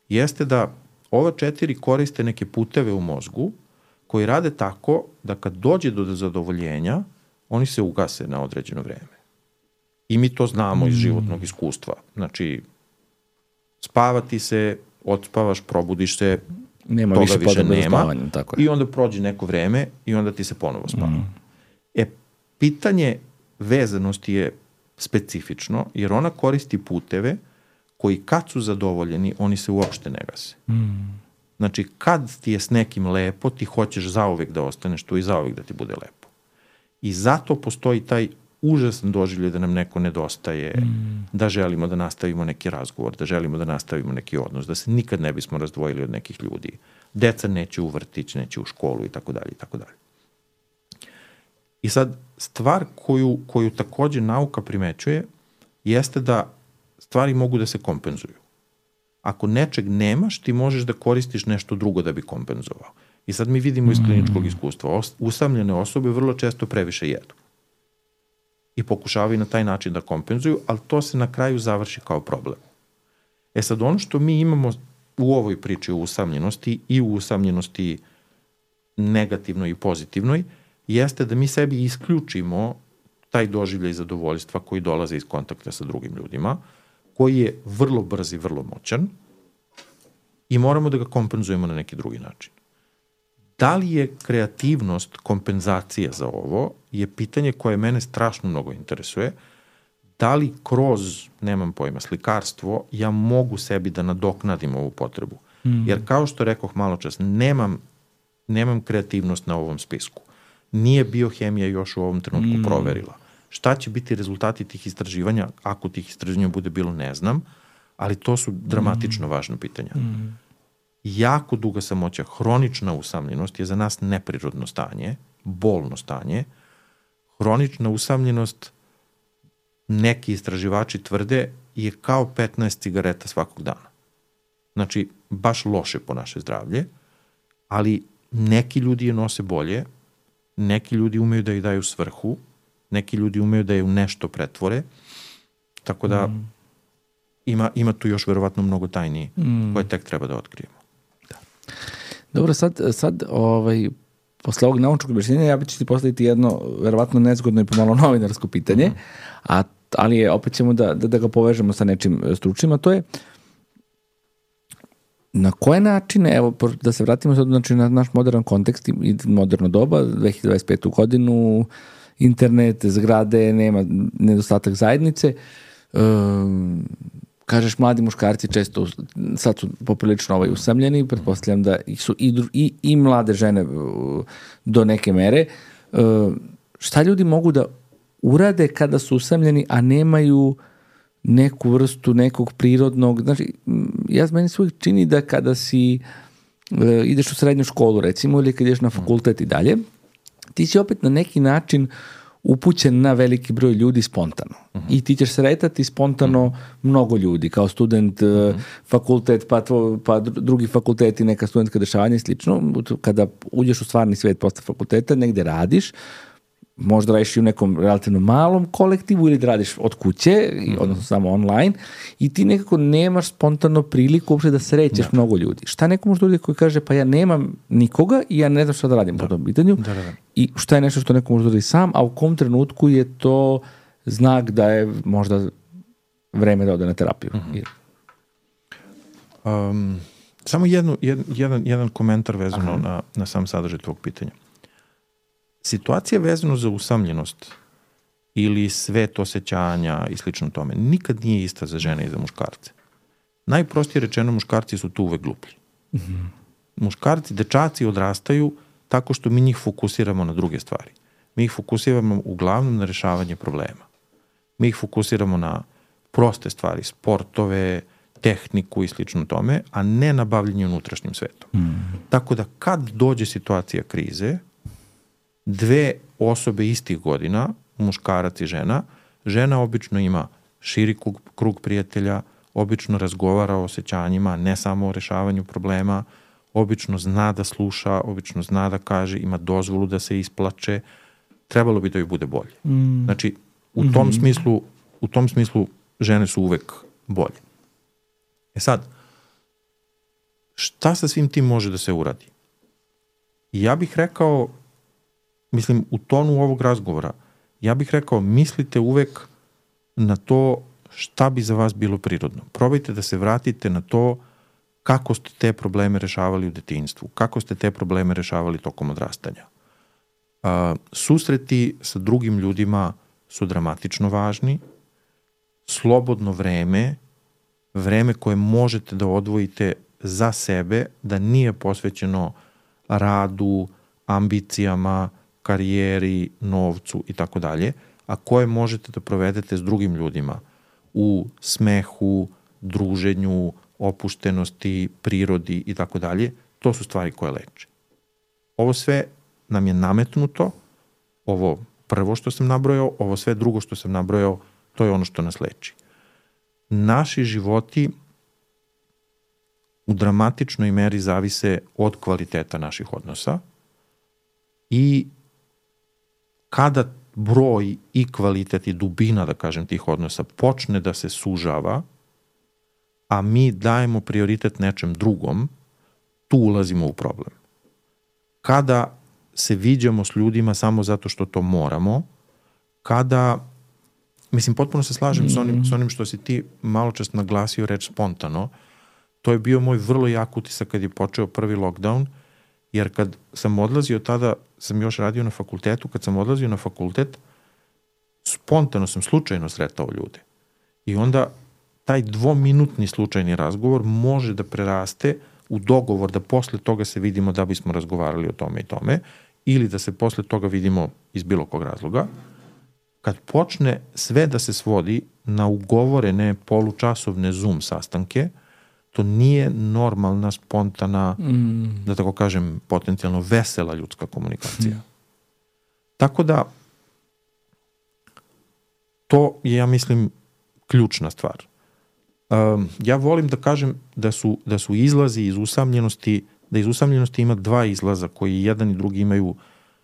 jeste da ova četiri koriste neke puteve u mozgu koji rade tako da kad dođe do zadovoljenja, oni se ugase na određeno vreme. I mi to znamo iz životnog iskustva. Znači, spavati se, odspavaš, probudiš se, nema toga više, više nema. Spavanjem, tako je. I onda prođe neko vreme i onda ti se ponovo spava. Mm. E, pitanje vezanosti je specifično, jer ona koristi puteve koji kad su zadovoljeni, oni se uopšte ne gase. Mm. Znači, kad ti je s nekim lepo, ti hoćeš zauvek da ostaneš tu i zauvek da ti bude lepo. I zato postoji taj užasan doživljaj da nam neko nedostaje, mm. da želimo da nastavimo neki razgovor, da želimo da nastavimo neki odnos, da se nikad ne bismo razdvojili od nekih ljudi. Deca neće u vrtić, neće u školu i tako dalje i tako dalje. I sad, stvar koju, koju takođe nauka primećuje jeste da stvari mogu da se kompenzuju. Ako nečeg nemaš, ti možeš da koristiš nešto drugo da bi kompenzovao. I sad mi vidimo iz kliničkog iskustva, usamljene osobe vrlo često previše jedu. I pokušavaju na taj način da kompenzuju, ali to se na kraju završi kao problem. E sad, ono što mi imamo u ovoj priči o usamljenosti i u usamljenosti negativnoj i pozitivnoj, jeste da mi sebi isključimo taj doživljaj zadovoljstva koji dolaze iz kontakta sa drugim ljudima, koji je vrlo brz i vrlo moćan i moramo da ga kompenzujemo na neki drugi način. Da li je kreativnost kompenzacija za ovo je pitanje koje mene strašno mnogo interesuje. Da li kroz, nemam pojma, slikarstvo, ja mogu sebi da nadoknadim ovu potrebu. Mm. Jer kao što rekoh malo čas, nemam, nemam kreativnost na ovom spisku. Nije biohemija još u ovom trenutku mm. proverila. Šta će biti rezultati tih istraživanja? Ako tih istraživanja bude bilo, ne znam, ali to su dramatično mm. važna pitanja. Mm. Jako duga samoća, hronična usamljenost je za nas neprirodno stanje, bolno stanje. Hronična usamljenost, neki istraživači tvrde, je kao petnaest cigareta svakog dana. Znači, baš loše po naše zdravlje, ali neki ljudi je nose bolje, neki ljudi umeju da ih daju svrhu, neki ljudi umeju da je u nešto pretvore, tako da mm. ima, ima tu još verovatno mnogo tajni mm. koje tek treba da otkrijemo. Da. Dobro, sad, sad ovaj, posle ovog naučnog objašnjenja ja ću ti postaviti jedno verovatno nezgodno i pomalo novinarsko pitanje, mm. a, ali je, opet ćemo da, da, da ga povežemo sa nečim stručnim, a to je na koje načine, evo da se vratimo sad znači, na naš modern kontekst i moderno doba, dve hiljade dvadeset petu godinu, internet, zgrade, nema nedostatak zajednice. Um, kažeš, mladi muškarci često sad su poprilično ovaj usamljeni, pretpostavljam da su i, i, i mlade žene do neke mere. Um, šta ljudi mogu da urade kada su usamljeni, a nemaju neku vrstu nekog prirodnog, znači, ja meni se uvijek čini da kada si uh, ideš u srednju školu recimo ili kad ideš na fakultet i dalje, ti si opet na neki način upućen na veliki broj ljudi spontano. Uh-huh. I ti ćeš sretati spontano uh-huh. mnogo ljudi, kao student, uh-huh. fakultet, pa, tvo, pa drugi fakulteti, neka studentska dešavanja i slično. Kada uđeš u stvarni svijet posle fakulteta, negde radiš, možda radiš i u nekom relativno malom kolektivu ili da radiš od kuće, mm-hmm. odnosno samo online, i ti nekako nemaš spontano priliku uopšte da srećeš da. mnogo ljudi. Šta neko može ljudi koji kaže, pa ja nemam nikoga i ja ne znam šta da radim da. po tom pitanju, da, da, da. I šta je nešto što neko može da radi sam, a u kom trenutku je to znak da je možda vreme da ode na terapiju. Mm-hmm. Um, samo jednu, jed, jedan, jedan komentar vezano na, na sam sadržaj tvog pitanja. Situacija vezano za usamljenost ili svet osjećanja i slično tome nikad nije ista za žene i za muškarce. Najprostije rečeno, muškarci su tu uvek gluplji. Mm-hmm. Muškarci, dečaci odrastaju tako što mi njih fokusiramo na druge stvari. Mi ih fokusiramo uglavnom na rešavanje problema. Mi ih fokusiramo na proste stvari, sportove, tehniku i slično tome, a ne na bavljenje unutrašnjim svetom. Mm. Tako da kad dođe situacija krize, dve osobe istih godina, muškarac i žena, žena obično ima širi krug, krug prijatelja, obično razgovara o osjećanjima, ne samo o rešavanju problema, obično zna da sluša, obično zna da kaže, ima dozvolu da se isplače, trebalo bi da joj bude bolje. Mm. Znači, u tom mm-hmm. smislu, u tom smislu žene su uvek bolje. E sad, šta sa svim tim može da se uradi? Ja bih rekao, mislim, u tonu ovog razgovora, ja bih rekao, mislite uvek na to šta bi za vas bilo prirodno. Probajte da se vratite na to kako ste te probleme rešavali u detinjstvu, kako ste te probleme rešavali tokom odrastanja. Uh, susreti sa drugim ljudima su dramatično važni, slobodno vreme, vreme koje možete da odvojite za sebe, da nije posvećeno radu, ambicijama, karijeri, novcu i tako dalje, a koje možete da provedete s drugim ljudima u smehu, druženju, opuštenosti, prirodi i tako dalje, to su stvari koje leče. Ovo sve nam je nametnuto, ovo prvo što sam nabrojao, ovo sve drugo što sam nabrojao, to je ono što nas leči. Naši životi u dramatičnoj meri zavise od kvaliteta naših odnosa i kada broj i kvalitet i dubina, da kažem, tih odnosa počne da se sužava, a mi dajemo prioritet nečem drugom, tu ulazimo u problem. Kada se viđamo s ljudima samo zato što to moramo, kada, mislim, potpuno se slažem mm. s, onim, s onim što si ti malo čas naglasio reč spontano, to je bio moj vrlo jak utisak kad je počeo prvi lockdown, jer kad sam odlazio, tada sam još radio na fakultetu, kad sam odlazio na fakultet, spontano sam slučajno sretao ljude. I onda taj dvominutni slučajni razgovor može da preraste u dogovor da posle toga se vidimo da bismo razgovarali o tome i tome, ili da se posle toga vidimo iz bilo kog razloga. Kad počne sve da se svodi na ugovorene polučasovne Zoom sastanke, to nije normalna, spontana, mm. da tako kažem, potencijalno vesela ljudska komunikacija. Mm. Tako da, to je, ja mislim, ključna stvar. Um, ja volim da kažem da su, da su izlazi iz usamljenosti, da iz usamljenosti ima dva izlaza koji jedan i drugi imaju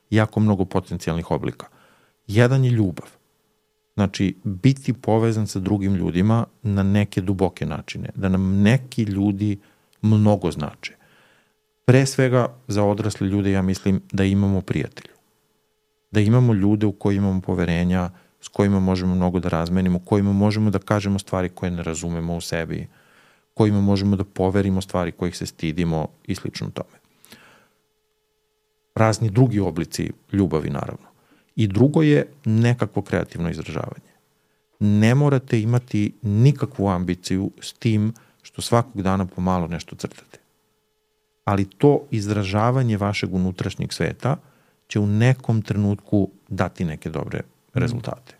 jako mnogo potencijalnih oblika. Jedan je ljubav. Znači, biti povezan sa drugim ljudima na neke duboke načine. Da nam neki ljudi mnogo znače. Pre svega, za odrasle ljude, ja mislim da imamo prijatelju. Da imamo ljude u koji imamo poverenja, s kojima možemo mnogo da razmenimo, kojima možemo da kažemo stvari koje ne razumemo u sebi, kojima možemo da poverimo stvari kojih se stidimo i slično tome. Razni drugi oblici ljubavi, naravno. I drugo je nekakvo kreativno izražavanje. Ne morate imati nikakvu ambiciju s tim što svakog dana pomalo nešto crtate. Ali to izražavanje vašeg unutrašnjeg sveta će u nekom trenutku dati neke dobre rezultate.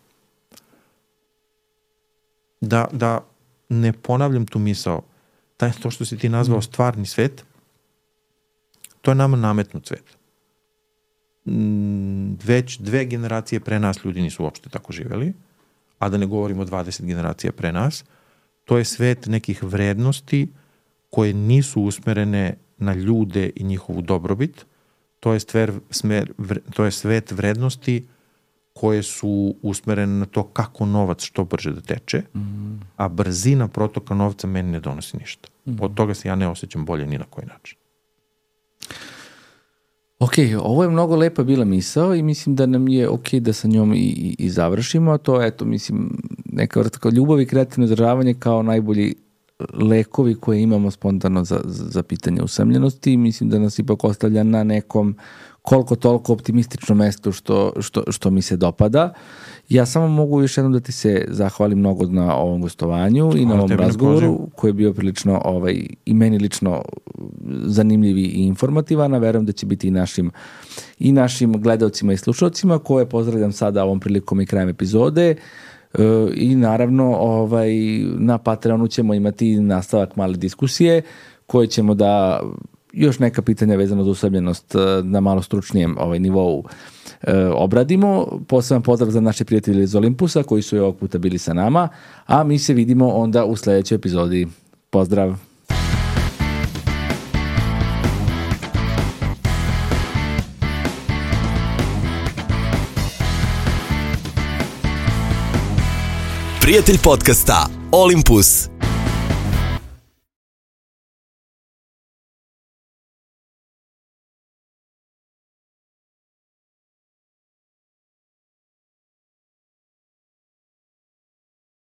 Da, da ne ponavljam tu misao, taj, to što si ti nazvao stvarni svet, to je nama nametnut svet. Već dve generacije pre nas ljudi nisu uopšte tako živeli, a da ne govorimo dvadeset generacija pre nas, to je svet nekih vrednosti koje nisu usmerene na ljude i njihovu dobrobit, to je, stver, smer, to je svet vrednosti koje su usmerene na to kako novac što brže da teče, mm. a brzina protoka novca meni ne donosi ništa. Mm. Od toga se ja ne osjećam bolje ni na koji način. Ok, ovo je mnogo lepa bila misao i mislim da nam je ok da sa njom i, i, i završimo, a to eto, mislim, neka vrsta kao ljubav i kreativno izražavanje kao najbolji lekovi koje imamo spontano za, za pitanje usamljenosti i mislim da nas ipak ostavlja na nekom koliko toliko optimistično mesto što, što, što mi se dopada. Ja samo mogu još jednom da ti se zahvalim mnogo na ovom gostovanju i na ovom razgovoru koji je bio prilično ovaj, i meni lično zanimljiv i informativan, a verujem da će biti i našim, i našim gledalcima i slušalcima koje pozdravljam sada ovom prilikom i krajem epizode. I naravno ovaj, na Patreonu ćemo imati nastavak male diskusije koje ćemo da još neka pitanja vezano za usamljenost na malo stručnijem ovaj, nivou e, obradimo. Poseban pozdrav za naše prijatelje iz Olimpusa koji su i ovog puta bili sa nama, a mi se vidimo onda u sledećoj epizodi. Pozdrav! Prijatelj podcasta Olympus.